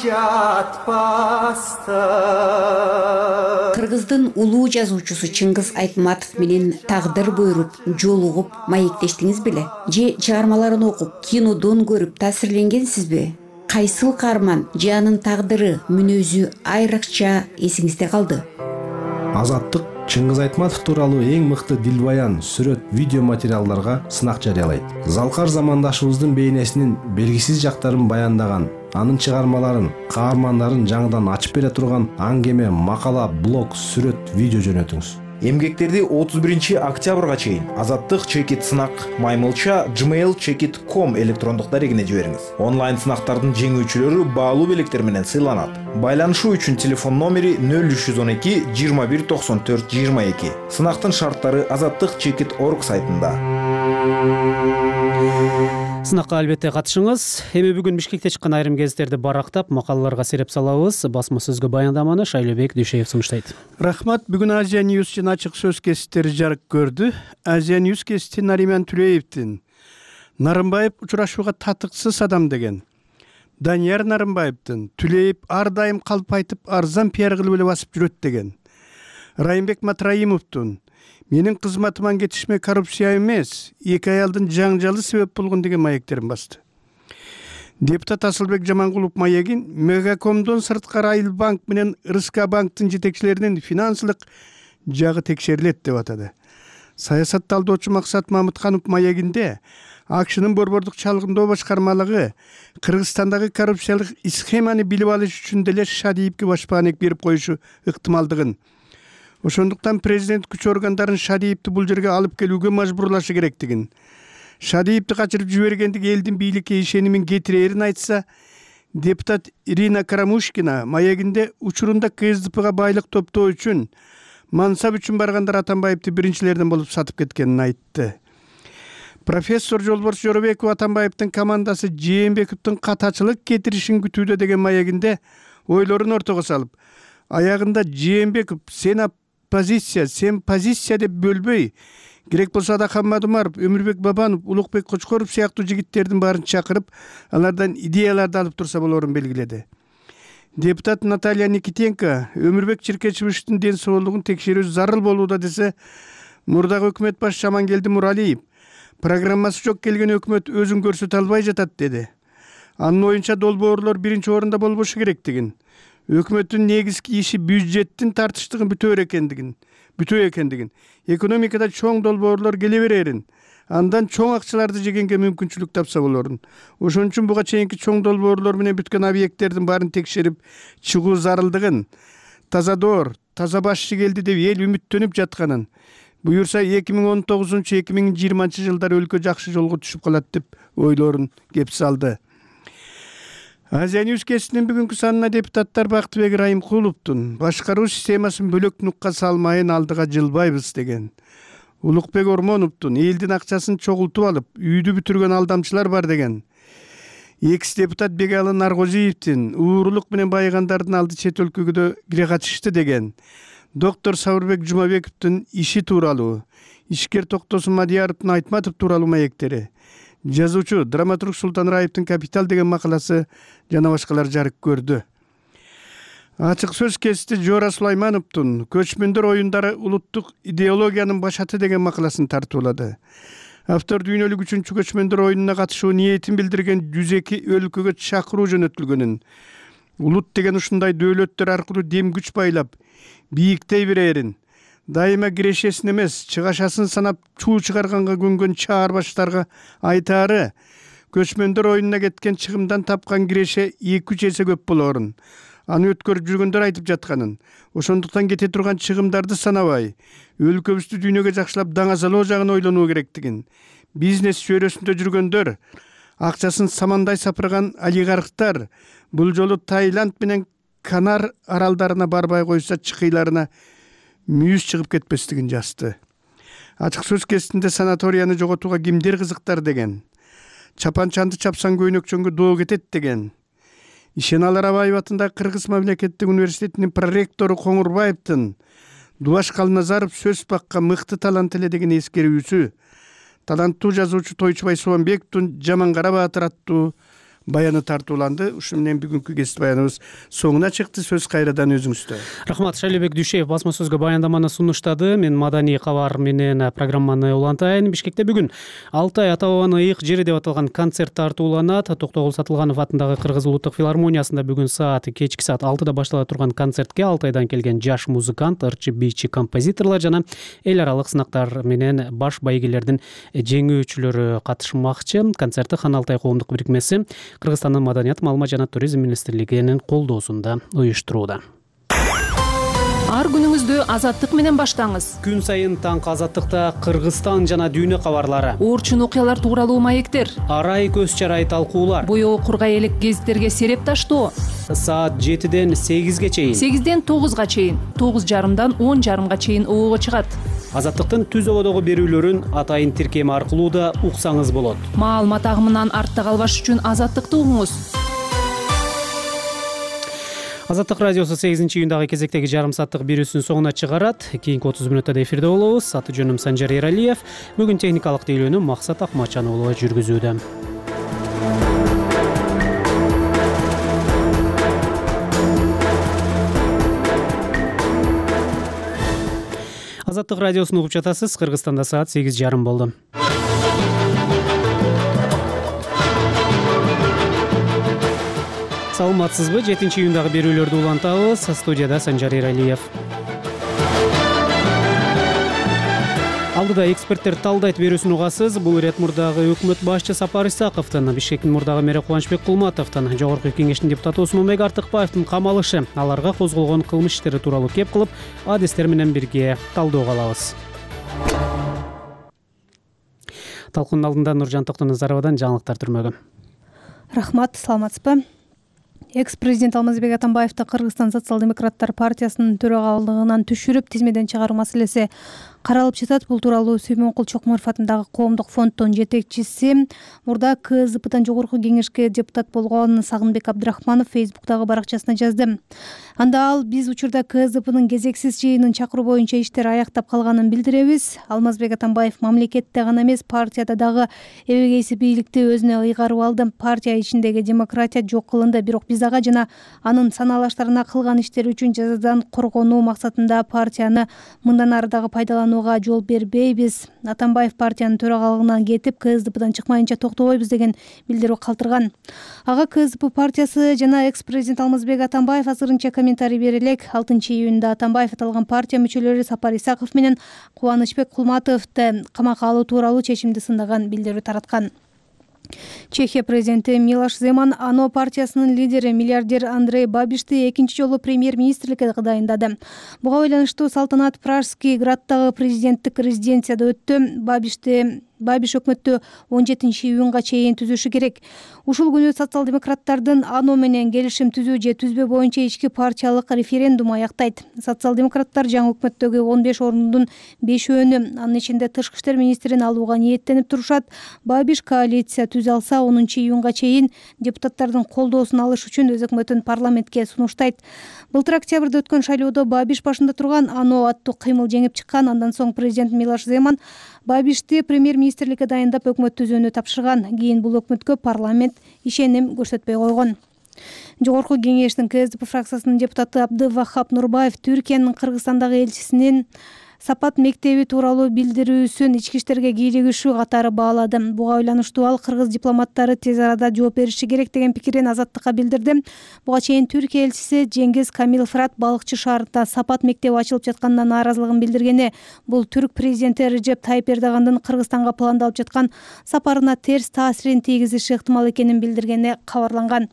жатпастан.
Кыргыздын улуу жазуучусу Чыңгыз Айтматов менен тагдыр буйруп, жолугуп, маектештиңиз беле? Же чыгармаларын окуп, кинодон көрүп таасирленгенсизби? Кайсыл каарман же анын тагдыры, мүнөзү айрыкча эсиңизде калды?
Азаттык Чыңгыз Айтматов тууралуу эң мыкты дилбаян, сүрөт, видео материалдарга сынак жарыялайт. Залкар замандашыбыздын бейнесинин белгисиз жактарын баяндаган, анын чыгармаларын, каармандарын жаңыдан ачып бере турган аңгеме, макала, блог, сүрөт, видео жөнөтүңүз.
Эмгектерди 31-октябрга чейин Азаттык чекит сынак маймылча gmail.com электрондук дарегине жибериңиз. Онлайн сынактардын жеңүүчүлөрү баалуу белектер менен сыйланат. Байланышуу үчүн телефон номери 0312 21 94 22. Сынактын шарттары Азаттык чекит.org сайтында.
Сынакка албетте катышыңыз. Эми бүгүн Бишкекте чыккан айрым гезиттерди барактап, макалаларга сереп салабыз. Басма сөзгө баяндаманы Шайлообек Дүйшеев сунуштайт.
Рахмат. Бүгүн Азия Ньюс жана ачык сөз гезиттери жарык көрдү. Азия Ньюс гезити Нариман Түлеевдин Нарымбаев учурашууга татыксыз адам деген. Данияр Нарымбаевдин Түлеев ар дайым калп айтып, арзан пиар кылып эле басып жүрөт деген. Райымбек Матраимовдун менин кызматыман кетишме коррупция эмес, эки аялдын жаңжалы себеп болгон деген маектерин басты. Депутат Асылбек Жамангулов маегин Мегакомдон сырткары Айыл банк менен РСК банктын жетекчилеринин финансылык жагы текшерилет деп атады. Саясат талдоочу Максат Мамытканов маегинде АКШнын борбордук чалгындоо башкармалыгы Кыргызстандагы коррупциялык схеманы билип алыш үчүн деле Шадиевге башпаанек берип коюшу ыктымалдыгын, ошондуктан президент күч органдарын Шадиевди бул жерге алып келүүгө мажбурлашы керектигин, Шадиевди качырып жибергендиги элдин бийликке ишенимин кетирээрин айтса, депутат Ирина Карамушкина маегинде учурунда КСДПга байлык топтоо үчүн, мансап үчүн баргандар Атамбаевди биринчилерден болуп сатып кеткенин айтты. Профессор Жолборс Жоробеков Атамбаевдин командасы Жээнбековдун катачылык кетиришин күтүүдө деген маегинде ойлорун ортого салып, аягында Жээнбеков сен позиция деп бөлбөй, керек болсо Адакан Мадумаров, Өмүрбек Бабанов, Улукбек Кочкоров сыяктуу жигиттердин баарын чакырып, алардан идеяларды алып турса болорун белгиледи. Депутат Наталья Никитенко Өмүрбек Чиркечевичтин ден соолугун текшерүү зарыл болууда десе, мурдагы өкмөт башчы Жамангелди Муралиев программасы жок келген өкмөт өзүн көрсөтө албай жатат деди. Анын оюнча долбоорлор биринчи орунда болбошу керектигин, өкмөттүн негизги иши бюджеттин тартыштыгын бүтөө экендигин, экономикада чоң долбоорлор келе берерин, андан чоң акчаларды жегенге мүмкүнчүлүк тапса болорун. Ошон үчүн буга чейинки чоң долбоорлор менен бүткөн объекттердин баарын текшерип чыгуу зарылдыгын, таза доор, таза башчы келди деп эл үмүттөнүп жатканын, буюрса 2019-2020 жылдары өлкө жакшы жолго түшүп калат деп ойлорун кеп салды. Азия Ньюс гезитинин бүгүнкү санына депутаттар Бактыбек Райымкуловдун башкаруу системасын бөлөк нукка салмайын, алдыга жылбайбыз деген. Улукбек Ормоновдун элдин акчасын чогултуп алып, үйдү бүтүргөн алдамчылар бар деген. Экс-депутат Бегалы Наргозиевдин уурулук менен байыгандардын алды чет өлкөгө кире качышты деген. Доктор Сабырбек Жумабековдун иши тууралуу, ишкер Токтосун Мадияровдун Айтматов тууралуу маектери, жазуучу драматург Султан Раевдин Капитал деген макаласы жана башкалар жарык көрдү. Ачык сөз гезити Жора Сулаймановдун көчмөндөр оюндары улуттук идеологиянын башаты деген макаласын тартуулады. Автор дүйнөлүк 3-чү көчмөндөр оюнуна катышуу ниетин билдирген 102 өлкөгө чакыруу жөнөтүлгөнүн, улут деген ушундай дөөлөттөр аркылуу дем күч байлап, бийиктей берерин, дайыма кирешесин эмес, чыгашасын санап чуу чыгарганга көнгөн чаар баштарга айтаары, көчмөндөр оюнуна кеткен чыгымдан тапкан киреше 2-3 эсе көп болорун, аны өткөрүп жүргөндөр айтып жатканын, ошондуктан кете турган чыгымдарды санабай, өлкөбүздү дүйнөгө жакшылап даңазалоо жагын ойлонуу керектигин, бизнес чөйрөсүндө жүргөндөр, акчасын самандай сапырган олигархтар бул жолу Таиланд менен Канар аралдарына барбай койсо чыкыйларына мүйүз чыгып кетпестигин жазды. Ачык сөз гезитинде санаторияны жоготууга кимдер кызыктар деген. Чапанчанды чапсаң көйнөкчөнгө доо кетет деген. Ишеналы Рабаев атындагы Кыргыз мамлекеттик университетинин проректору Коңурбаевдин Дубаш Калназаров сөз бакка мыкты талант эле деген эскерүүсү, таланттуу жазуучу Тойчубай Субанбековдун Жамангара Баатыр аттуу баяны тартууланды. Ушу менен бүгүнкү гезит баяныбыз соңуна чыкты. Сөз кайрадан өзүңүздө.
Рахмат. Шайлообек Дүйшеев басма сөзгө баяндаманы сунуштады. Мен маданий кабар менен программаны улантайын. Бишкекте бүгүн Алтай ата бабанын ыйык жери деп аталган концерт тартууланат. Токтогул Сатылганов атындагы Кыргыз улуттук филармониясында бүгүн кечки саат 6-да баштала турган концертке Алтайдан келген жаш музыкант, ырчы, бийчи, композиторлор жана эл аралык сынактар менен баш байгелердин жеңүүчүлөрү катышмакчы. Концертти Хан Алтай коомдук бирикмеси Кыргызстандын маданият, маалымат жана туризм министрлигинин колдоосунда уюштурууда.
Ар күнүңүздү азаттык менен баштаңыз.
Күн сайын таңкы азаттыкта Кыргызстан жана дүйнө кабарлары,
Оорчун окуялар тууралуу маектер,
арай көз чарай талкуулар,
боёо кургай элек гезиттерге сереп таштоо.
Саат 7-ден 8-ге чейин,
8-ден 9-га чейин, 9:30-дан 10:30-га чейин обого чыгат.
Азаттыктын түз ободогу берүүлөрүн атайын тиркеми аркылуу да уксаңыз болот.
Маалымат агымынан артта калбаш үчүн Азаттыкты угуңуз.
Азаттык радиосу 8-июндагы кезектеги жарым сааттык берүүсүнүн соңуна чыгарат. Кийинки 30 мүнөттө эфирде болобуз. Аты жөнүм Санжар Эралиев. Бүгүн техникалык тейлөөнү Максат Акмачан уулу жүргүзүүдө. Азаттык радиосун угуп жатасыз. Кыргызстанда саат 8:30 болду. Саламатсызбы? 7-июндагы берүүлөрдү улантабыз. Студияда Санжар Эралиев. Алдыда эксперттер талдайт берүүсүн угасыз. Бул ирет мурдагы өкмөт башчы Сапар Исаковдун, Бишкектин мурдагы мэри Кубанычбек Кулматовдун, Жогорку Кеңештин депутаты Осмонбек Артыкбаевдин камалышы, аларга козголгон кылмыш иштери тууралуу кеп кылып, адистер менен бирге талдоого алабыз. Талкуунун алдында Нуржан Токтоназаровадан жаңылыктар түрмөгү.
Рахмат, саламатсызбы? Экс-президент Алмазбек Атамбаевди Кыргызстан социал-демократтар партиясынын төрагалыгынан түшүрүп, тизмеден чыгаруу маселеси каралып жатат. Бул тууралуу Сүймөнкул Чокморов атындагы коомдук фонддун жетекчиси, мурда КСДПдан жогорку кеңешке депутат болгон Сагынбек Абдрахманов Фейсбуктагы баракчасына жазды. Анда ал: биз учурда КСДПнын кезексиз жыйынын чакыруу боюнча иштер аяктап калганын билдиребиз. Алмазбек Атамбаев мамлекетте гана эмес, партияда дагы эбегейси бийликти өзүнө ыйгарып алды. Партия ичиндеги демократия жок кылынды. Бирок биз ага жана анын санаалаштарына кылган иштери үчүн жазадан коргонуу максатында партияны мындан ары дагы пайдаланууга жол бербейбиз. Атамбаев партиянын төрагалыгынан кетип, КСДПдан чыкмайынча токтобойбуз деген билдирүү калтырган. Ага КСДП партиясы жана экс-президент Алмазбек Атамбаев азырынча комментарий бере элек. 6-июнда Атамбаев аталган партия мүчөлөрү Сапар Исаков менен Кубанычбек Кулматовду камакка алуу тууралуу чечимди сындаган билдирүү тараткан. Чехия президенти Милош Земан АНО партиясынын лидери миллиардер Андрей Бабишти экинчи жолу премьер-министрликке дайындады. Буга байланыштуу салтанат Пражский граддагы президенттик резиденцияда өттү. Бабиш өкмөттү 17-июнга чейин түзүшү керек. Ушул күнү социал-демократтардын АНО менен келишим түзүү же түзбөө боюнча ички партиялык референдум аяктайт. Социал-демократтар жаңы өкмөттөгү 15 ордундун 5-өөнү, анын ичинде тышкы иштер министрин алууга ниеттенип турушат. Бабиш коалиция түзө алса, 10-июнга чейин депутаттардын колдоосун алыш үчүн өз өкмөтүн парламентке сунуштайт. Былтыр октябрда өткөн шайлоодо Бабиш башында турган АНО аттуу кыймыл жеңип чыккан. Андан соң президент Милош Земан Бабишти премьер-министрликке дайындап өкмөт түзүүнү тапшырган. Кийин бул өкмөткө парламент ишеним көрсөтпөй койгон. Жогорку кеңештин КСДП фракциясынын депутаты Абдывахап Нурбаев Түркиянын Кыргызстандагы элчисинин Сапат мектеби тууралуу билдирүүсүн ички иштерге кийлигишүү катары баалады. Буга байланыштуу ал кыргыз дипломаттары тез арада жооп бериши керек деген пикирин Азаттыкка билдирди. Буга чейин Түркия элчиси Жеңгиз Камил Фырат балыкчы шаарында Сапат мектеби ачылып жатканына нааразылыгын билдиргени. Бул түрк президенти Режеп Тайып Эрдогандын Кыргызстанга пландалып жаткан сапарына терс таасирин тийгизиши ыктымал экенин билдиргени кабарланган.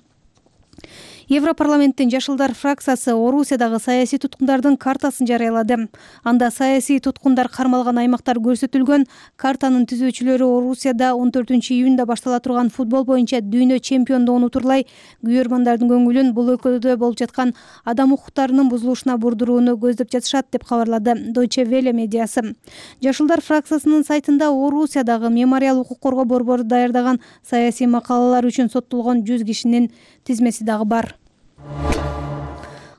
Европарламенттин Жашылдар фракциясы Орусиядагы саясий туткундардын картасын жарыялады. Анда саясий туткундар кармалган аймактар көрсөтүлгөн. Картанын түзүүчүлөрү Орусияда 14-июнда баштала турган футбол боюнча дүйнө чемпиондугун утурлай күйөрмандардын көңүлүн бул өлкөдө болуп жаткан адам укуктарынын бузулушуна бурдурууну көздөп жатышат деп кабарлады Deutsche Welle медиасы. Жашылдар фракциясынын сайтында Орусиядагы мемориал укук коргоо борбору даярдаган саясий макалалар үчүн соттолгон 100 кишинин тизмеси дагы бар.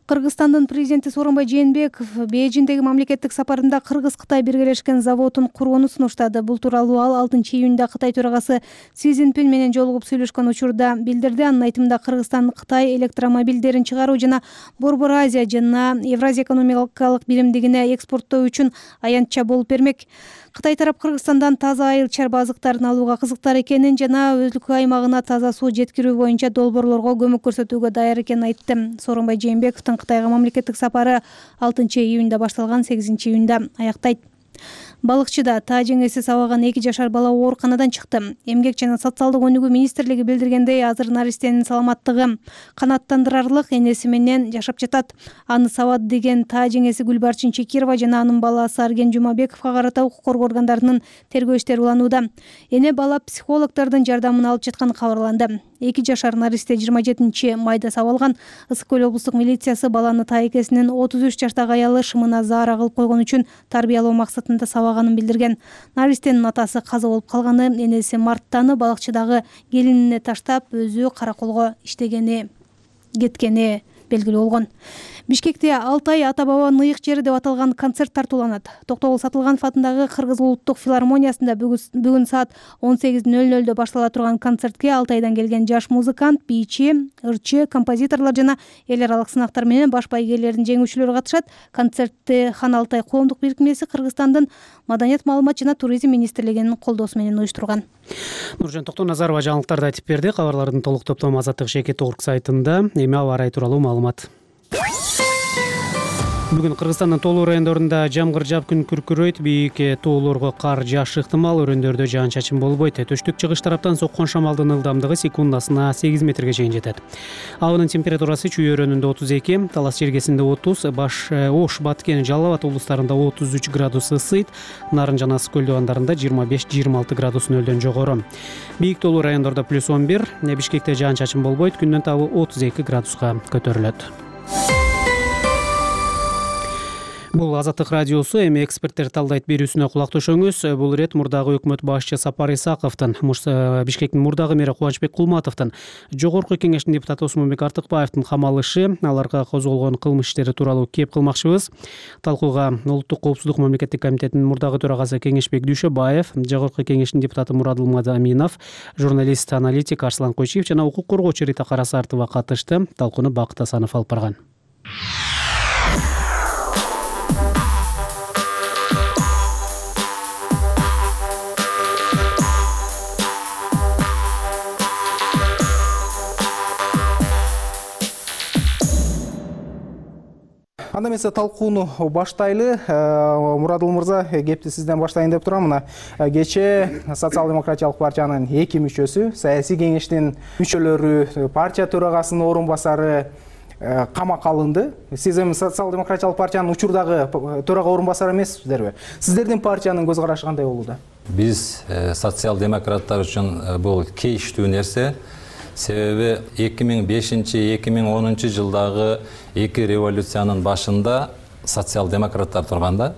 Кыргызстандын президенти Сооронбай Жээнбеков Бейжиңдеги мамлекеттик сапарында Кыргыз-Кытай биргелешкен заводун курууну сунуштады. Бул тууралуу ал 6-июнда Кытай төрагасы Си Цзиньпин менен жолугуп сүйлөшкөн учурда билдирди. Анын айтымында Кыргызстан Кытай электромобилдерин чыгаруу жана Борбор Азия жана Евразия экономикалык биримдигине экспорттоо үчүн аянтча болуп бермек. Кытай тарап Кыргызстандан таза айыл чарба азыктарын алууга кызыктар экенин жана өлкө аймагына таза суу жеткирүү боюнча долбоорлорго көмөк көрсөтүүгө даяр экенин айтты. Сооронбай Жээнбековдун Кытайга мамлекеттик сапары 6-июнда башталган, 8-июнда аяктайт. Балыкчыда таа жеңеси сабаган 2 жашар бала ооруканадан чыкты. Эмгек жана социалдык өнүгүү министрлиги билдиргендей, азыр наристенин саламаттыгы канааттандырарлык, энеси менен жашап жатат. Аны сабады деген таа жеңеси Гүлбарчын Чекирова жана анын баласы Арген Жумабековго карата укук коргоо органдарынын тергөө иштери уланууда. Эне бала психологдордун жардамын алып жатканы кабарланды. 2 жашар наристе 27 майда сабалган. Ысык Көл облустук милициясы баланы таа экесинин 33 жаштагы аялы шымына заара кылып койгон үчүн тарбиялоо максатында сабаганын билдирген. Наристенин атасы каза болуп калганы, энеси марттаны балыкчыдагы келинине таштап өзү караколго кеткени белгилүү болгон. Бишкекте Алтай ата-бабанын ыйык жери деп аталган концерт тартууланат. Токтогул Сатылганов атындагы Кыргыз улуттук филармониясында бүгүн саат 18:00 баштала турган концертке Алтайдан келген жаш музыкант, бийчи, ырчы, композиторлор жана эл аралык сынактар менен баш байгелердин жеңүүчүлөрү катышат. Концертти Хан Алтай коомдук бирикмеси Кыргызстандын Маданият, маалымат жана туризм министрлигинин колдоосу менен уюштурган.
Нуржан Токтоназарова жаңылыктарды айтып берди. Кабарлардын толук топтому Азаттык Шекет.org сайтында. Эми аба ырайы тууралуу маалымат. Бүгүн Кыргызстандын тоолуу райондорунда жамгыр жаап күн күркүрөйт, бийик тоолорго кар жаашы ыктымал, өрөөндөрдө жаан-чачын болбойт. Төштүк чыгыш тараптан соккон шамалдын ылдамдыгы секундасына 8 метрге чейин жетет. Абанын температурасы Чүй өрөөнүндө 32, Талас Чергесинде 30, Ош, Баткен, Жалал Абад облустарында 33 градус ысыйт, Нарын жана Ысык Көл дубандарында 25-26 градус нөлдөн жогору. Бийик тоолуу райондордо +11, Бишкекте жаан-чачын болбойт, күндүн табы 32 градуска көтөрүлөт. Бул Азаттык радиосу, эми эксперттер талдайт берүүсүнө кулак төшөңүз. Бул ирет мурдагы өкмөт башчы Сапар Исаковдун, Бишкектин мурдагы мэри Кубанычбек Кулматовдун, Жогорку Кеңештин депутаты Осмонбек Артыкбаевдин камалышы, аларга козголгон кылмыш иштери тууралуу кеп кылмакчыбыз. Талкууга Улуттук коопсуздук мамлекеттик комитетинин мурдагы төрагасы Кеңешбек Дүйшөбаев, Жогорку Кеңештин депутаты Мурадыл Мадаминов, журналист, аналитик Арслан Койчиев жана укук коргоочу Рита Карасартова катышты. Талкууну Бакыт Асанов алып барган.
Анда эмесе талкууну баштайлы. Мурадыл мырза, кепти сизден баштайын деп турам. Мына кечээ Социал-демократиялык партиянын 2 мүчөсү, саясий кеңештин мүчөлөрү, партия төрагасынын орун басары камакка алынды. Сиз эми Социал-демократиялык партиянын учурдагы төрага орун басары эмессиздерби? Сиздердин партиянын көз карашы кандай болууда?
Биз социал-демократтар үчүн бул кейиштүү нерсе. Себеби 2005-2010 жылдагы 2 революциянын башында социал-демократтар турганда,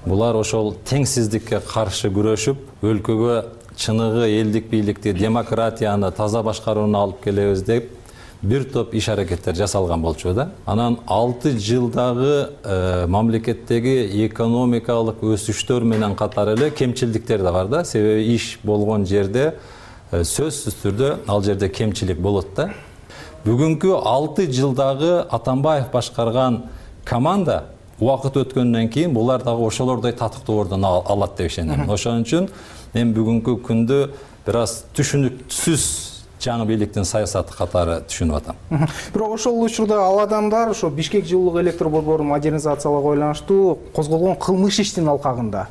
булар ошол теңсиздикке каршы күрөшүп, өлкөгө чыныгы элдик бийликти, демократияны, таза башкарууну алып келебиз деп бир топ иш аракеттер жасалган болчу да. Анан 6 жылдагы мамлекеттеги экономикалык өсүштөр менен катар эле кемчилдиктер да бар да. Себеби иш болгон жерде сөзсүз түрдө ал жерде кемчилик болот да. Бүгүнкү 6 жылдагы Атамбаев башкарган команда убакыт өткөндөн кийин булар дагы ошолордой татыктуу ордун алат деп ишенем. Ошон үчүн мен бүгүнкү күндү бир аз түшүнүксүз жаңы бийликтин саясаты катары түшүнүп атам.
Бирок ошол учурда ал адамдар ошо Бишкек жылуулук электр борборун модернизациялоого байланыштуу козголгон кылмыш иштин алкагында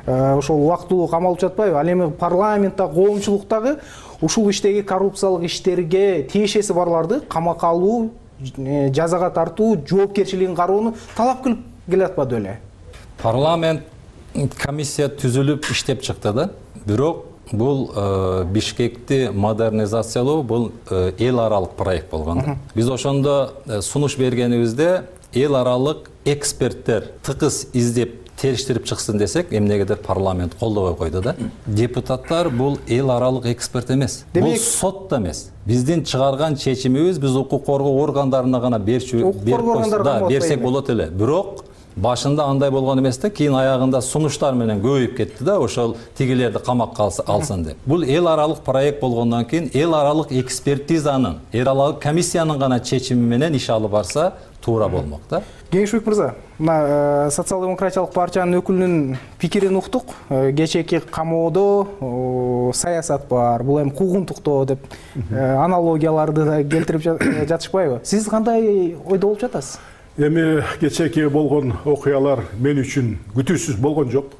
ошол убактылуу камалып жатпайбы? Ал эми парламентте, коомчулуктагы ушул иштеги коррупциялык иштерге тиешеси барларды камакка алуу, жазага тартуу, жоопкерчилигин кароону талап кылып келатпады беле?
Парламент комиссия түзүлүп иштеп чыкты да. Бирок бул Бишкекти модернизациялоо бул эл аралык проект болгон. Биз ошондо сунуш бергенибизде эл аралык эксперттер тыкыз издеп териштирип чыксын десек, эмнегедир парламент колдобой койду да. Депутаттар бул эл аралык эксперт эмес. Бул сот да эмес. Биздин чыгарган чечимибиз биз укук коргоо органдарына гана берсек болот эле. Бирок башында андай болгон эмес да, кийин аягында сунуштар менен көбөйүп кетти да, ошол тигилерди камакка алсын деп. Бул эл аралык проект болгондон кийин эл аралык экспертизанын, эл аралык комиссиянын гана чечими менен иш алып барса туура болмок да.
Кеңешбек мырза, мына социал-демократиялык партиянын өкүлүнүн пикирин уктук. Кечээки камоодо саясат бар, бул эми куугунтуктоо деп аналогияларды да келтирип жатышпайбы? Сиз кандай ойдо болуп жатасыз?
Эми кечээки болгон окуялар мен үчүн күтүүсүз болгон жок.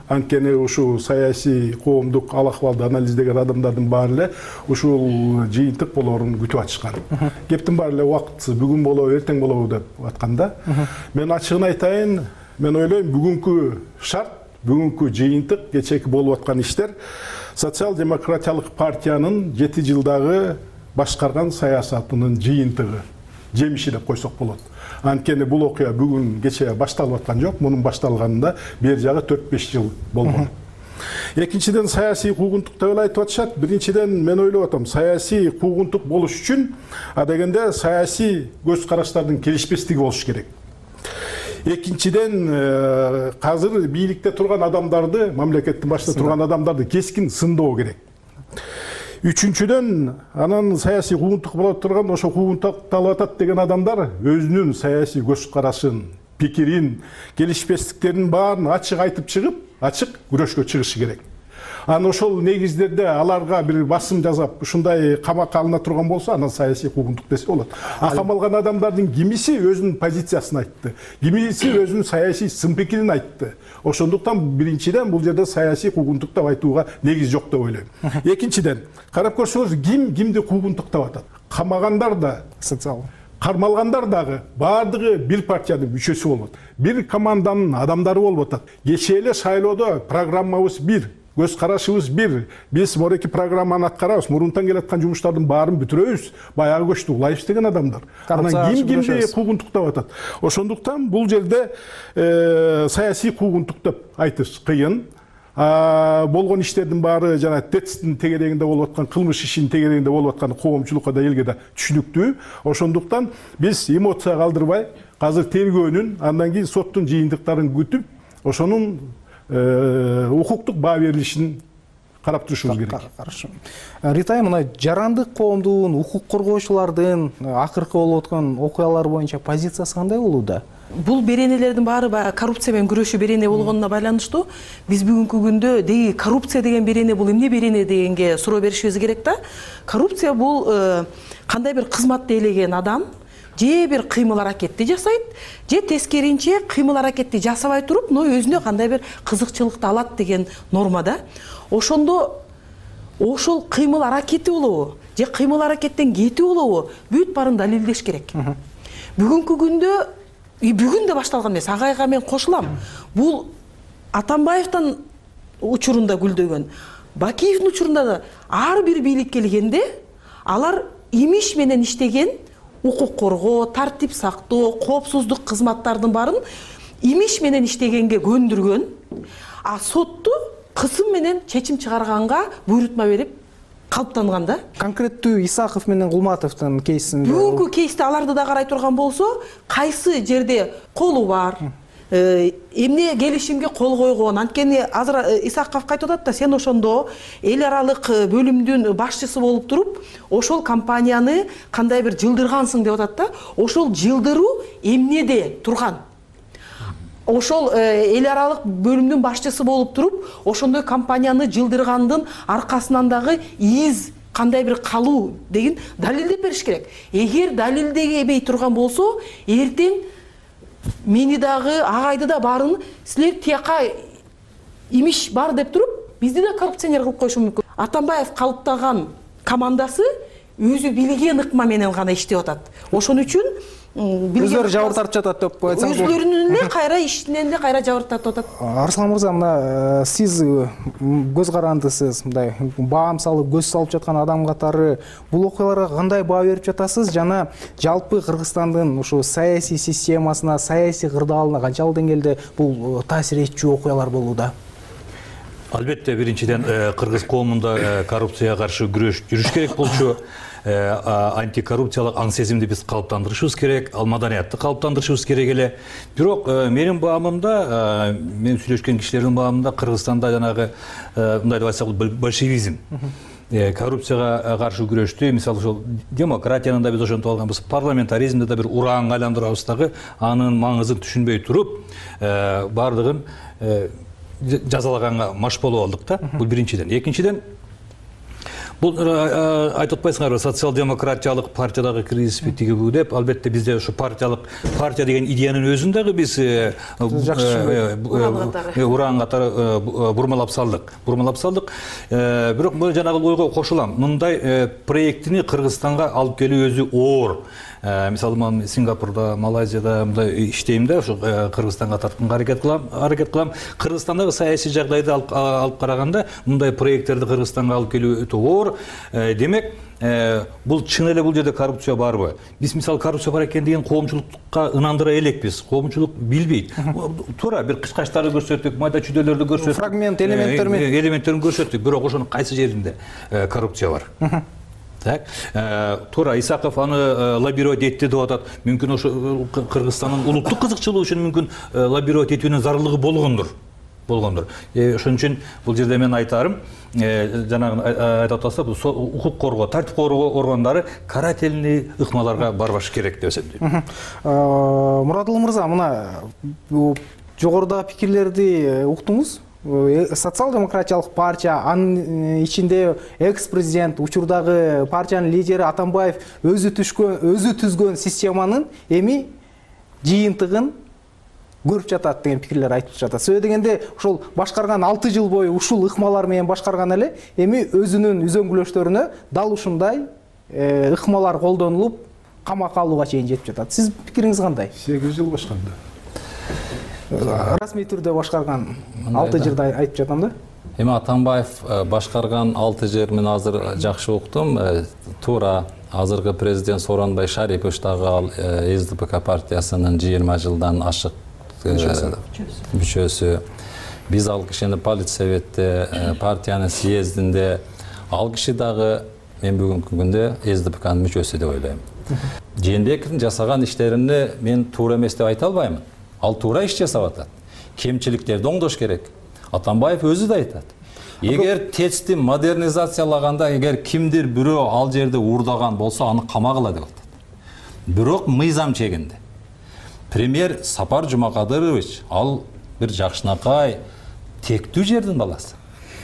Анткени ушул саясий коомдук ал акыбалды анализдеген адамдардын баары эле ушул жыйынтык болоорун күтүп атышкан. Кептин баары эле убактысы бүгүн болобу, эртең болобу деп атканда, мен ачыгын айтайын, мен ойлойм бүгүнкү шарт, бүгүнкү жыйынтык, кечээки болуп аткан иштер социал-демократиялык партиянын 7 жылдагы башкарган саясатынын жыйынтыгы, жемиши деп койсок болот. Анткени бул окуя бүгүн кечээ башталып аткан жок, мунун башталганында бери жагы 4-5 жыл болгон. Экинчиден саясий куугунтук деп айтып атышат. Биринчиден мен ойлоп атам, саясий куугунтук болуш үчүн адегенде саясий көз караштардын келишпестиги болуш керек. Экинчиден азыр бийликте турган адамдарды, мамлекеттин башында турган адамдарды кескин сындоо керек. Үчүнчүдөн, анан саясий куугунтук болуп турган, ошо куугунтукталып атат деген адамдар өзүнүн саясий көз карашын, пикирин, келишпестиктерин баарын ачык айтып чыгып, ачык күрөшкө чыгышы керек. Анан ошол негиздерде аларга бир басым жасап, ушундай камакка алына турган болсо, анан саясий куугунтук десе болот. Камалган адамдардын кимиси өзүнүн позициясын айтты, кимиси өзүнүн саясий сын пикирин айтты. Ошондуктан биринчиден бул жерде саясий куугунтук деп айтууга негиз жок деп ойлойм. Экинчиден, карап көрсөңүз, кимди куугунтуктап атат? Камагандар да, социал кармалгандар дагы баардыгы бир партиянын мүчөсү болот. Бир команданын адамдары болуп атат. Кечээ эле шайлоодо программабыз бир, көз карашыбыз бир. Биз мореки программаны аткарабыз, мурунтан келаткан жумуштардын баарын бүтүрөбүз. Баягы көчтү улайбыз деген адамдар. Анан кимди куугунтуктап атат? Ошондуктан бул жерде саясий куугунтук деп айтыш кыйын. Болгон иштердин баары жана ТЭЦтин тегерегинде болуп аткан, кылмыш ишинин тегерегинде болуп аткан коомчулукка да элге да түшүнүктүү. Ошондуктан биз эмоция калтырбай, азыр тергөөнүн, андан кийин соттун жыйынтыктарын күтүп, ошонун укуктук баа берилишин карап турушубуз керек.
Каршы. Ритай, мына жарандык коомдун, укук коргоочулардын акыркы болуп аткан окуялар боюнча позициясы кандай болууда?
Бул беренелердин баары коррупция менен күрөшүү берене болгонуна байланыштуу. Биз бүгүнкү күндө деги коррупция деген берене бул эмне берене дегенге суроо беришибиз керек да. Коррупция бул кандай бир кызматты ээлеген адам же бир кыймыл аракетти жасайт, же тескеринче кыймыл аракетти жасабай туруп, но өзүнө кандай бир кызыкчылыкты алат деген норма да. Ошондо ошол кыймыл аракети болобу, же кыймыл аракеттен кетүү болобу, бүт баарын далилдеш керек. Бүгүнкү күндө бүгүн да башталган эмес, агайга мен кошулам. Бул Атамбаевдин учурунда гүлдөгөн, Бакиевдин учурунда да ар бир бийликке келгенде алар имиш менен иштеген укук коргоо, тартип сактоо, коопсуздук кызматтардын баарын имиш менен иштегенге көндүргөн, а сотту кысым менен чечим чыгарганга буйрутма берип калыптанган да.
Конкреттүү Исаков менен Кулматовдун кейсинде
бүгүнкү кейсте аларды да карай турган болсо, кайсы жерде колу бар, эмне келишимге кол койгон. Анткени азыр Исаков кайтып атат да, сен ошондо эл аралык бөлүмдүн башчысы болуп туруп, ошол компанияны кандай бир жылдыргансың деп атат да. Ошол жылдыруу эмнеде турган? Ошол эл аралык бөлүмдүн башчысы болуп туруп, ошондой компанияны жылдыргандын аркасынан дагы из кандай бир калуу деген далилдеп бериш керек. Эгер далилдебей турган болсо, эртең мени дагы, агайды да баарын силер тияка имиш бар деп туруп, бизди да коррупционер кылып коюшу мүмкүн. Атамбаев калыптаган командасы өзү билген ыкма менен гана иштеп атат. Ошон үчүн
өздөрү жабыр тартып жатат деп айтсаңыз,
өзлөрүнүн эле кайра ишинен эле кайра жабыр тартып атат.
Арслан мырза, мына сиз көз карандысыз, мындай баам салып көз салып жаткан адам катары бул окуяларга кандай баа берип жатасыз жана жалпы Кыргызстандын ушу саясий системасына, саясий кырдаалына канчалык деңгээлде бул таасир этчү окуялар болууда?
Албетте, биринчиден кыргыз коомунда коррупцияга каршы күрөш жүрүш керек болчу. Антикоррупциялык аң сезимди биз калыптандырышыбыз керек, ал маданиятты калыптандырышыбыз керек эле. Бирок менин баамымда, мен сүйлөшкөн кишилердин баамында Кыргызстанда жанагы мындай деп айтсак большевизм, коррупцияга каршы күрөштү, мисалы ошол демократиянын да биз ошентип алганбыз, парламентаризмди да бир ураанга айландырабыз дагы, анын маңызын түшүнбөй туруп, бардыгын жазалаганга маш болуп алдык да. Бул биринчиден. Экинчиден, Бул айтып атпайсыңарбы, социал-демократиялык партиядагы кризиспи тигибу деп, албетте бизде ушу партия деген идеянын өзүн дагы биз уран катары бурмалап салдык. Бирок бул жанагы ойго кошулам. Мындай проектини Кыргызстанга алып келүү өзү оор. Мисалы мен Сингапурда, Малайзияда мындай иштейм да, ушу Кыргызстанга тартканга аракет кылам. Кыргызстандагы саясий жагдайды алып караганда мындай проекттерди Кыргызстанга алып келүү өтө оор. Демек, бул чын эле бул жерде коррупция барбы? Биз мисалы коррупция бар экен деген коомчулукка ынандыра элекпиз. Коомчулук билбейт. Туура бир кычкачтарды көрсөттүк, майда чүйдөлөрдү көрсөттүк.
Фрагмент элементтерин
көрсөттүк, бирок ошонун кайсы жеринде коррупция бар? Туура Исаков аны лоббировать этти деп атат. Мүмкүн ошо Кыргызстандын улуттук кызыкчылыгы үчүн мүмкүн лоббировать этүүнүн зарылдыгы болгондур. Ошон үчүн бул жерде мен айтарым, жанагы айтып атса, бул укук коргоо, тартип коргоо органдары карательный ыкмаларга барбаш керек деп эсептейм.
Мурадылы мырза, мына жогорудагы пикирлерди уктуңуз. Социал-демократиялык партия, анын ичинде экс-президент, учурдагы партиянын лидери Атамбаев өзү түзгөн системанын эми жыйынтыгын көрүп жатат деген пикирлер айтып жатат. Сөзсүз дегенде, ошол башкарган 6 жыл бою ушул ыкмалар менен башкарган эле, эми өзүнүн үзөңгүлөштөрүнө дал ушундай ыкмалар колдонулуп, камакка алууга чейин жетип жатат. Сиз пикириңиз кандай?
8 жыл башкарды.
Расмий түрдө башкарган 6 жылда айтып жатам да.
Эми Атамбаев башкарган 6 жыл мен азыр жакшы уктум. Туура азыркы президент Сооронбай Шарипович дагы ал СДПК партиясынын 20 жылдан ашык мүчөсү. Биз ал кишини политсоветте, партиянын съездинде, ал киши дагы мен бүгүнкү күндө СДПКнын мүчөсү деп ойлойм. Жээнбековдун жасаган иштерини мен туура эмес деп айта албаймын. Ал туура иш жасап атат. Кемчиликтерди оңдош керек. Атамбаев өзү да айтат. Эгер ТЭЦти модернизациялаганда, эгер кимдир бирөө ал жерде уурдаган болсо, аны камагыла деп атат. Бирок мыйзам чегинде. Премьер Сапар Жумакадырович, ал бир жакшынакай тектүү жердин баласы.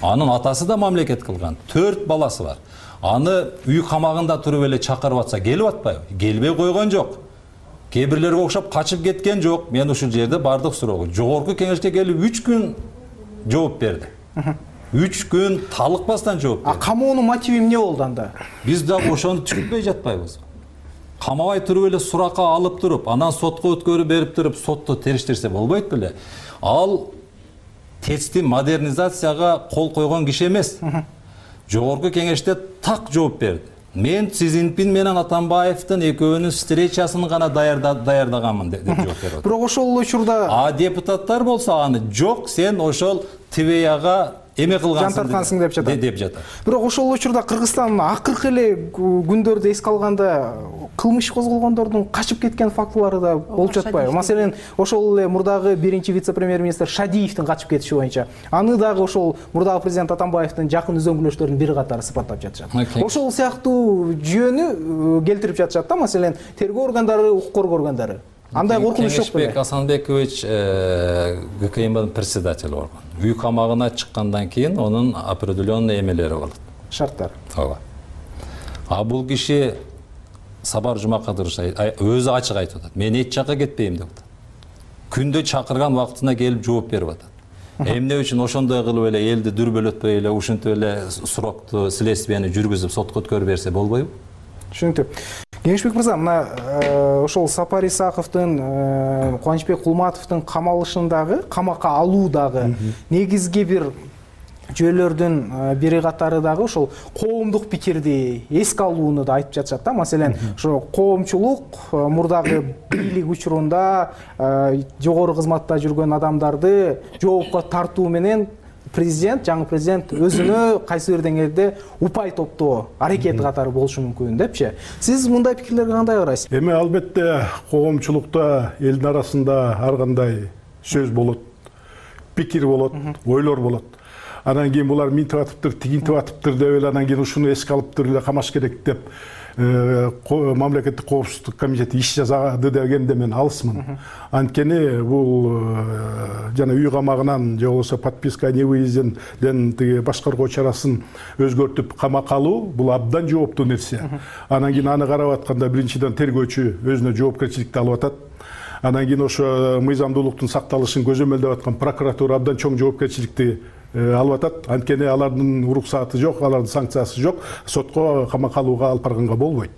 Анын атасы да мамлекет кылган. 4 баласы бар. Аны үй камагында туруп эле чакырып атса, келип атпайбы? Келбей койгон жок. Кээ бирлерге окшоп качып кеткен жок. Мен ушул жерде бардык суроого. Жогорку кеңешке келип 3 күн жооп берди. 3 күн талыкпастан жооп берди.
Камоонун мотиви эмне болду анда?
Биз да ошону түшүнбөй жатпайбыз. Камабай туруп эле суракка алып туруп, анан сотко өткөрүп берип туруп, сотто териштирсе болбойт беле? Ал ТЭЦти модернизацияга кол койгон киши эмес. Жогорку кеңеште так жооп берди. Мен Си Цзиньпин менен Атамбаевдин экөөнүн встречасын гана даярдаганмын деп жооп берди.
Бирок ошол учурда
депутаттар болсо аны жок, сен ошол ТВЯга эме кылгансың
деп жатат. Бирок ошол учурда Кыргызстан акыркы эле күндөрдү эске алганда кылмыш козголгондордун качып кеткен фактылары да болуп жатпайбы? Маселен, ошол эле мурдагы биринчи вице-премьер-министр Шадиевдин качып кетиши боюнча, аны дагы ошол мурдагы президент Атамбаевдин жакын үзөңгүлөштөрүнүн бири катары сыпаттап жатышат. Ошол сыяктуу жүйөнү келтирип жатышат да, маселен, тергөө органдары, укук коргоо органдары. Андай коркунуч жок беле?
Кеңешбек Асанбекович ГКМбнын председатели болгон. Үй камагына чыккандан кийин онун определенный эмелери болот.
Шарттар.
Ооба. А бул киши Сапар Жумакадырович өзү ачык айтып атат. Мен эч жакка кетпейм деп атат. Күндө чакырган убактына келип жооп берип атат. Эмне үчүн ошондой кылып эле элди дүрбөлөтпөй эле ушинтип эле сурокту, следствияны жүргүзүп сотко өткөрүп берсе болбойбу?
Түшүнүктүү. Кеңешбек мырза, мына ошол Сапар Исаковдун, Кубанычбек Кулматовдун камалышындагы, камакка алуудагы негизги бир жүйөлөрдүн бири катары дагы ошол коомдук пикирди эске алууну да айтып жатышат да. Маселен, ошо коомчулук мурдагы бийлик учурунда жогору кызматта жүргөн адамдарды жоопко тартуу менен жаңы президент өзүнө кайсы бир деңгээлде упай топтоо аракети катары болушу мүмкүн депчи. Сиз мындай пикирлерге кандай карайсыз?
Эми албетте коомчулукта элдин арасында ар кандай сөз болот, пикир болот, ойлор болот. Анан кийин булар минтип атыптыр, тигинтип атыптыр деп эле анан кийин ушуну эске алыптыр эле камаш керек деп мамлекеттик коопсуздук комитети иш жасады дегенде мен алысмын. Анткени бул жана үй камагынан же болбосо подписка о невыезден тиги башкаруу чарасын өзгөртүп камакка алуу бул абдан жооптуу нерсе. Анан кийин аны карап атканда биринчиден тергөөчү өзүнө жоопкерчиликти алып атат. Анан кийин ошо мыйзамдуулуктун сакталышын көзөмөлдөп аткан прокуратура абдан чоң жоопкерчиликти алып атат. Анткени алардын уруксаты жок, алардын санкциясы жок, сотко камакка алууга алып барганга болбойт.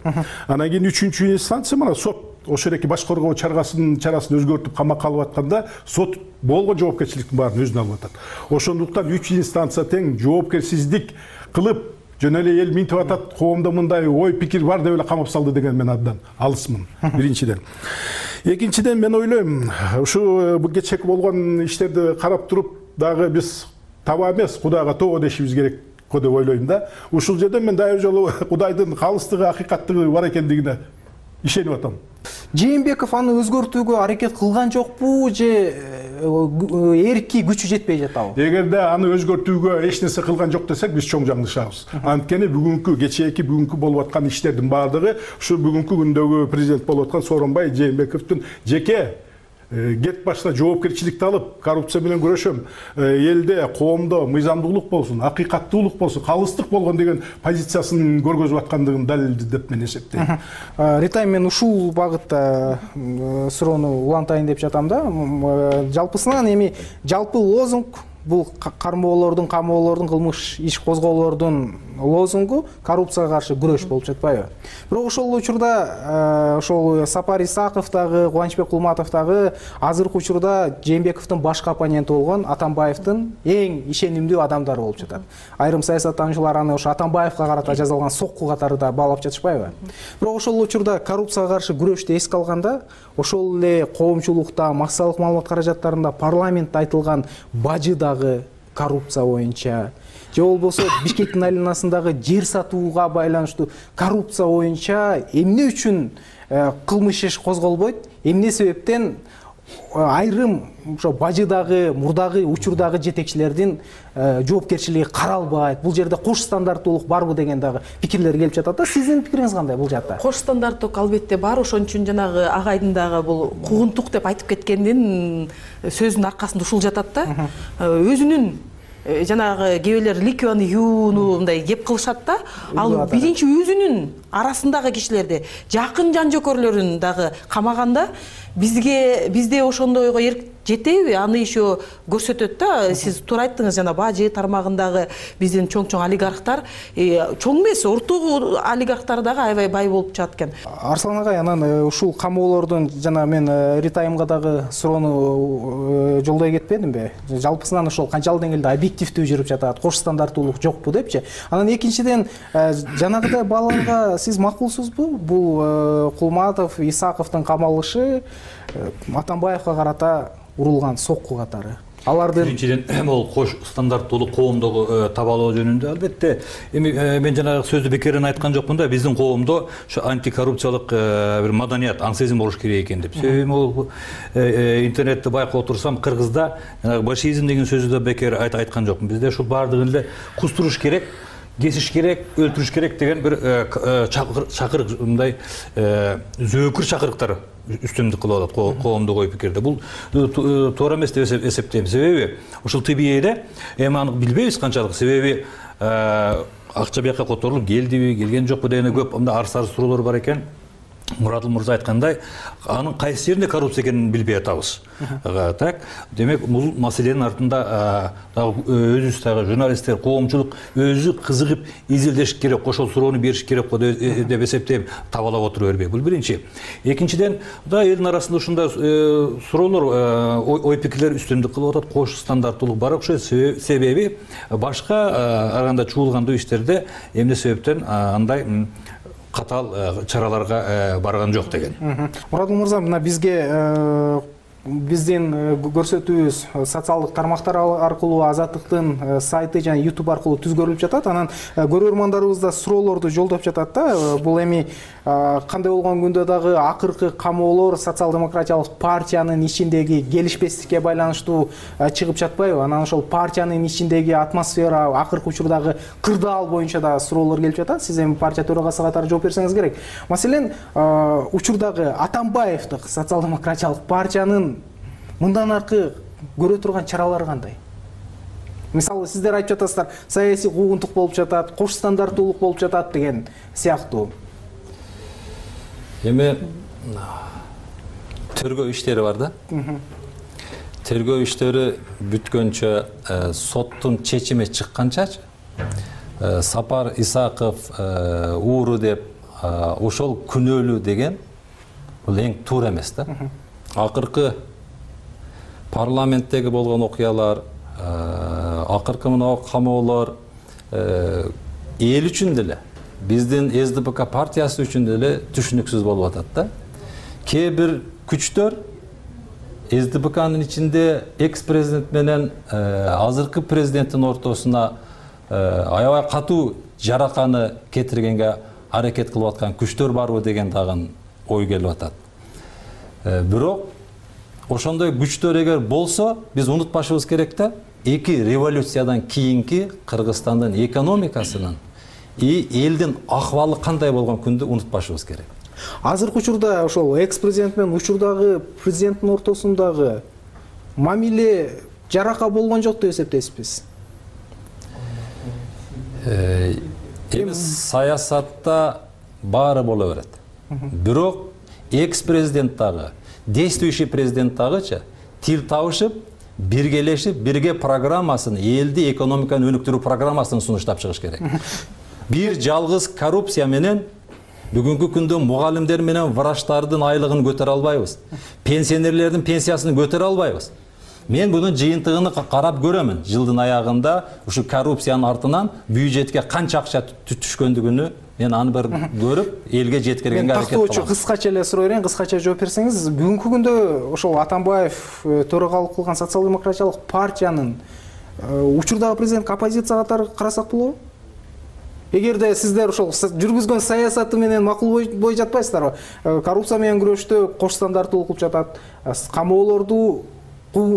Анан кийин үчүнчү инстанция мына сот ошол эки баш коргоо чарасын өзгөртүп камакка алып атканда сот болгон жоопкерчиликтин баарын өзүнө алып атат. Ошондуктан 3 инстанция тең жоопкерсиздик кылып жөн эле эл минтип атат, коомдо мындай ой пикир бар деп эле камап салды деген мен абдан алысмын биринчиден. Экинчиден мен ойлойм, ушу бул кечээки болгон иштерди карап туруп дагы биз таба эмес, Кудайга тоо дешибиз керек деп ойлойм да. Ушул жерде мен дайыр жолу Кудайдын калыстыгы, акыйкаттыгы бар экендигине ишенип атам.
Жээнбеков аны өзгөртүүгө аракет кылган жокпу же эрки күчү жетпей жатабы?
Эгерде аны өзгөртүүгө эч нерсе кылган жок десек, биз чоң жаңылышабыз. Анткени бүгүнкү болуп аткан иштердин баардыгы ушу бүгүнкү күндөгү президент болуп аткан Сооронбай Жээнбековдун жеке кет башына жоопкерчиликти алып, коррупция менен күрөшөм, элде, коомдо мыйзамдуулук болсун, акыйкаттуулук болсун, калыстык болгон деген позициясын көргөзүп аткандыгын далилдеди деп мен эсептейм.
Ритайм, мен ушул багытта суроону улантайын деп жатам да. Жалпысынан эми жалпы лозунг бул кармоолордун, камоолордун, кылмыш иш козгоолордун лозунгу коррупцияга каршы күрөш болуп жатпайбы? Бирок ошол учурда ошол Сапар Исаков дагы, Кубанычбек Кулматов дагы азыркы учурда Жээнбековдун башкы оппоненти болгон Атамбаевдин эң ишенимдүү адамдары болуп жатат. Айрым саясаттануучулар аны ошо Атамбаевга карата жасалган сокку катары да баалап жатышпайбы? Бирок ошол учурда коррупцияга каршы күрөштү эске алганда, ошол эле коомчулукта, массалык маалымат каражаттарында парламентте айтылган бажы дагы коррупция боюнча, же болбосо Бишкектин айланасындагы жер сатууга байланыштуу коррупция боюнча эмне үчүн кылмыш иш козголбойт, эмне себептен айрым ошо бажыдагы, мурдагы учурдагы жетекчилердин жоопкерчилиги каралбайт, бул жерде кош стандарттуулук барбы деген дагы пикирлер келип жатат да. Сиздин пикириңиз кандай бул жакта?
Кош стандарттуулук албетте бар, ошон үчүн жанагы агайдын дагы бул куугунтук деп айтып кеткендин сөзүнүн аркасында ушул жатат да. Өзүнүн жанагы кээ ликвияны юууну мындай кеп кылышат да. Ал биринчи өзүнүн арасындагы кишилерди, жакын жан жөкөрлөрүн дагы камаганда бизде ошондойго эрк жетеби? Аны еще көрсөтөт да. Сиз туура айттыңыз, жана бажы тармагындагы биздин чоң олигархтар, чоң эмес, орто олигархтар дагы аябай бай болуп чыгат экен.
Арслан агай, анан ушул камоолордун жана мен Ритайымга дагы суроону жолдой кетпедимби? Жалпысынан ошол канчалык деңгээлде объективдүү жүрүп жатат, кош стандарттуулук жокпу депчи. Анан экинчиден жанагыдай баалоого сиз макулсузбу? Бул Кулматов, Исаковдун камалышы Атамбаевга карата урулган сокку катары. Алардын
биринчиден бул кош стандарттуулук коомдогу табалоо жөнүндө албетте мен жанагы сөздү бекерден айткан жокмун да. Биздин коомдо ошо антикоррупциялык бир маданият, аңсезим болуш керек экен деп. Себеби бул интернетти байкап отурсам, кыргызда жанагы башизм деген сөздү да бекер айткан жокмун. Бизде ушул баардыгын эле кустуруш керек, кесиш керек, өлтүрүш керек деген бир чакырык, мындай зөөкүр чакырыктар үстөмдүк кылып атат коомдук ой пикирде. Бул туура эмес деп эсептейм. Себеби ушул ТБЭде эми аны билбейбиз канчалык. Себеби акча бияка которулуп келдиби, келген жокпу деген көп арыз суроолор бар экен. Мурадыл мырза айткандай, анын кайсы жеринде коррупция экенин билбей атабыз. Так, демек бул маселенин артында өзүбүз дагы журналисттер, коомчулук өзү кызыгып изилдеш керек, ошол суроону бериш керек деп эсептейм, табалап отура бербей. Бул биринчи. Экинчиден, элдин арасында ушундай суроолор, ой пикирлер үстөмдүк кылып атат, кош стандарттуулук бар окшойт. Себеби башка арганда чуулгандуу иштерде эмне себептен андай катаал чараларга барган жок деген.
Мурадыл мырза, мына бизге биздин көрсөтүүбүз социалдык тармактар аркылуу, Азаттыктын сайты жана YouTube аркылуу түзгөрүлүп жатат. Анан көрөрмандарыбыз да суроолорду жолдоп жатат да. Бул эми кандай болгон күндө дагы акыркы камоолор социал-демократиялык партиянын ичиндеги келишпестикке байланыштуу чыгып жатпайбы? Анан ошол партиянын ичиндеги атмосфера, акыркы учурдагы кырдаал боюнча да суроолор келип жатат. Сиз эми партия төрагасы катары жооп берсеңиз керек. Маселен, учурдагы Атамбаевдик социал-демократиялык партиянын мындан аркы көрө турган чаралары кандай? Мисалы, сиздер айтып жатасыздар, саясий куугунтук болуп жатат, кош стандарттуулук болуп жатат деген сыяктуу.
Эми тергөө иштери бар да. Тергөө иштери бүткөнчө, соттун чечими чыкканчачы, Сапар Исаков ууру деп ошол күнөөлүү деген бул эң туура эмес да. Акыркы парламенттеги болгон окуялар, акыркы мына камоолор эл үчүн деле, биздин СДПК партиясы үчүн деле түшүнүксүз болуп атат да. Кээ бир күчтөр СДПКнын ичинде экс-президент менен азыркы президенттин ортосуна аябай катуу жараканы кетиргенге аракет кылып аткан күчтөр барбы деген дагы ой келип атат. Бирок ошондой күчтөр эгер болсо, биз унутпашыбыз керек да, эки революциядан кийинки Кыргызстандын экономикасынын и элдин акыбалы кандай болгон күндү унутпашыбыз керек.
Азыркы учурда ошол экс-президент менен учурдагы президенттин ортосундагы мамиле жарака болгон жок деп эсептейсизби?
Эми саясатта баары боло берет. Бирок экс-президент дагы, действующий президент дагычы тил табышып, биргелешип, бирге программасын, элди экономиканы өнүктүрүү программасын сунуштап чыгыш керек. Бир жалгыз коррупция менен бүгүнкү күндө мугалимдер менен врачтардын айлыгын көтөрө албайбыз. Пенсионерлердин пенсиясын көтөрө албайбыз. Мен бунун жыйынтыгын карап көрөмүн. Жылдын аягында ушу коррупциянын артынан бюджетке канча акча түшкөндүгүнү мен аны бир көрүп, элге жеткиргенге аракет кылам.
Тактоочу кыскача эле суроо берейин, кыскача жооп берсеңиз, бүгүнкү күндө ошол Атамбаев төрагалык кылган социал-демократиялык партиянын учурдагы президент оппозиция катары карасак болобу? Эгерде сиздер ошол жүргүзгөн саясаты менен макул бой жатпайсыздарбы? Коррупция менен күрөштө кош стандарттуулук кылып жатат, камоолорду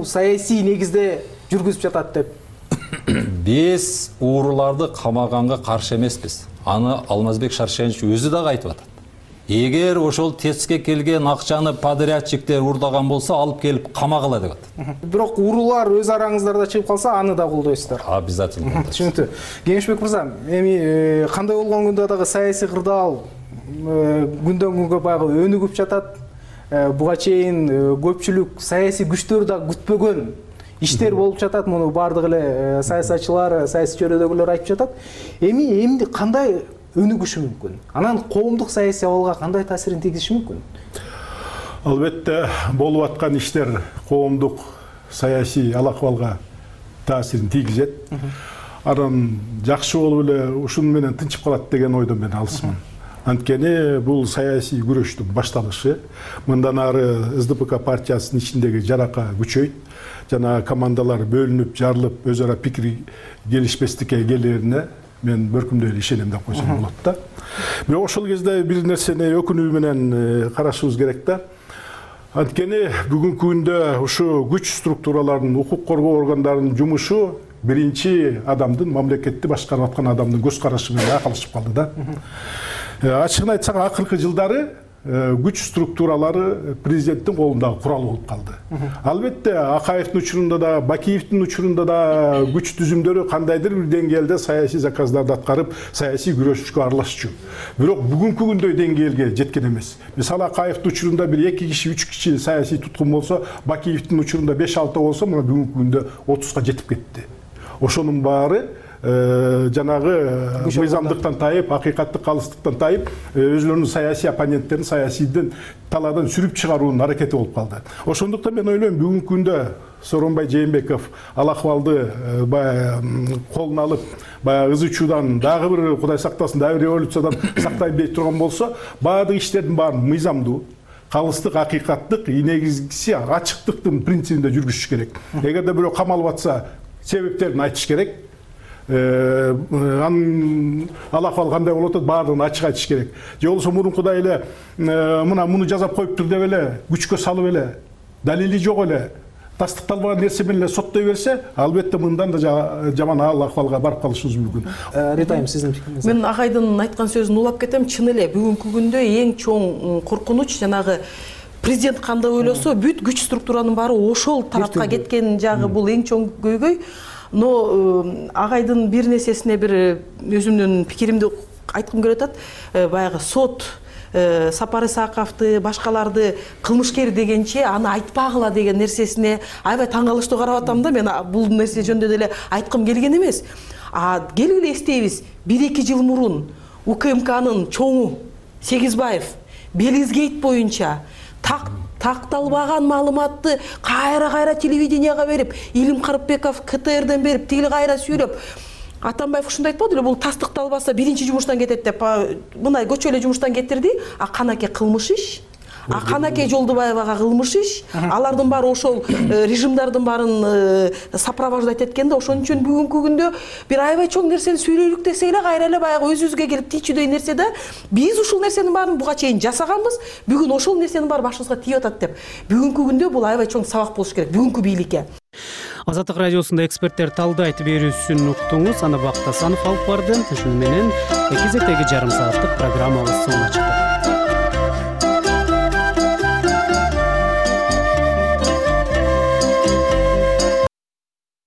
саясий негизде жүргүзүп жатат деп.
Биз ууруларды камаганга каршы эмеспиз. Аны Алмазбек Шаршенович өзү дагы айтып атат. Эгер ошол теске келген акчаны подрядчиктер урдаган болсо, алып келип камагыла деп атат.
Бирок уурулар өз араңыздарда чыгып калса, аны да колдойсуздар.
Обязательно.
Түшүнүктүү. Кеңешбек мырза, эми кандай болгон күндө дагы саясий кырдаал күндөн күнгө баягы өнүгүп жатат. Буга чейин көпчүлүк саясий күчтөр да күтпөгөн иштер болуп жатат. Муну бардык эле саясатчылар, саясий чөйрөдөгүлөр айтып жатат. Эмди кандай өнүгүшү мүмкүн? Анан коомдук саясий абалга кандай таасирин тийгизиши мүмкүн?
Албетте, болуп аткан иштер коомдук саясий ал-акыбалга таасирин тийгизет. Анан жакшы болуп эле ушуну менен тынчып калат деген ойдон мен алысмын. Анткени бул саясий күрөштүн башталышы. Мындан ары СДПК партиясынын ичиндеги жарака күчөйт. Жана командалар бөлүнүп, жарылып, өз ара пикир келишпестикке келерине мен бөркүмдөй эле ишенем деп койсом болот да. Бирок ошол кезде бир нерсени өкүнүү менен карашыбыз керек да. Анткени бүгүнкү күндө ушу күч структураларынын, укук коргоо органдарынын жумушу биринчи адамдын, мамлекетти башкарып аткан адамдын көз карашы менен айкалышып калды да. Ачыгын айтсак, акыркы жылдары күч структуралары президенттин колундагы курал болуп калды. Албетте, Акаевдин учурунда да, Бакиевдин учурунда да күч түзүмдөрү кандайдыр бир деңгээлде саясий заказдарды аткарып, саясий күрөшүшкө аралашчу. Бирок бүгүнкү күндөй деңгээлге жеткен эмес. Мисалы, Акаевдин учурунда бир 2 киши, 3 киши саясий туткун болсо, Бакиевдин учурунда 5-6 болсо, мына бүгүнкү күндө 30га жетип кетти. Ошонун баары жанагы мыйзамдыктан тайып, акыйкаттык калыстыктан тайып, өзлөрүнүн саясий оппоненттерин саясийден талаадан сүрүп чыгаруунун аракети болуп калды. Ошондуктан мен ойлойм, бүгүнкү күндө Сооронбай Жээнбеков ал-акыбалды колуна алып, баягы ызы чуудан, дагы бир Кудай сактасын, дагы бир революциядан сактайын дей турган болсо, баардык иштердин баарын мыйзамдуу, калыстык, акыйкаттык, негизгиси ачыктыктын принцибинде жүргүзүш керек. Эгерде бирөө камалып атса, себептерин айтыш керек. Анын ал акыбалы кандай болуп атат, баардыгын ачык айтыш керек. Же болбосо мурункудай эле муну жазап коюптур деп эле күчкө салып эле, далили жок эле, тастыкталбаган нерсе менен эле соттой берсе, албетте мындан да жаман акыбалга барып калышыбыз мүмкүн.
Рита айым, сиздин пикириңиз?
Мен Агайдын айткан сөзүн улап кетем. Чын эле бүгүнкү күндө эң чоң коркунуч жанагы президент кандай ойлосо, бүт күч структуранын баары ошол тарапка кеткен жагы бул эң чоң көйгөй. Но Агайдын бир нерсесине бир өзүмдүн пикиримди айткым келип атат. Баягы сот Сапар Исаковду, башкаларды кылмышкер дегенче аны айтпагыла деген нерсесине аябай таң калыштуу карап атам да. Мен бул нерсе жөнүндө деле айткым келген эмес. Келгиле эстейбиз, 1-2 жыл мурун УКМКнын чоңу Сегизбаев Белизгейт боюнча такталбаган маалыматты кайра телевиденияга берип, Илим Карыпбеков КТРден берип, тигил кайра сүйлөп, Атамбаев ушундай айтпады эле, бул тастыкталбаса биринчи жумуштан кетет деп, мындай көчө эле жумуштан кетирди. Канаке кылмыш иш, Канаке Жолдубаевага кылмыш иш, алардын баары ошол режимдардын баарын сопровождать эткенде, ошон үчүн бүгүнкү күндө бир аябай чоң нерсени сүйлөйлүк десе эле кайра эле баягы өзүбүзгө келип тийчүдөй нерсе да. Биз ушул нерсенин баарын буга чейин жасаганбыз, бүгүн ошол нерсенин баары башыбызга тийип атат деп. Бүгүнкү күндө бул аябай чоң сабак болуш керек бүгүнкү бийликке.
Азаттык радиосунда эксперттер талдайт берүүсүн уктуңуз. Аны Бактасанов алып барды. Ушуну менен кезектеги жарым сааттык программабыз соңуна чыкты.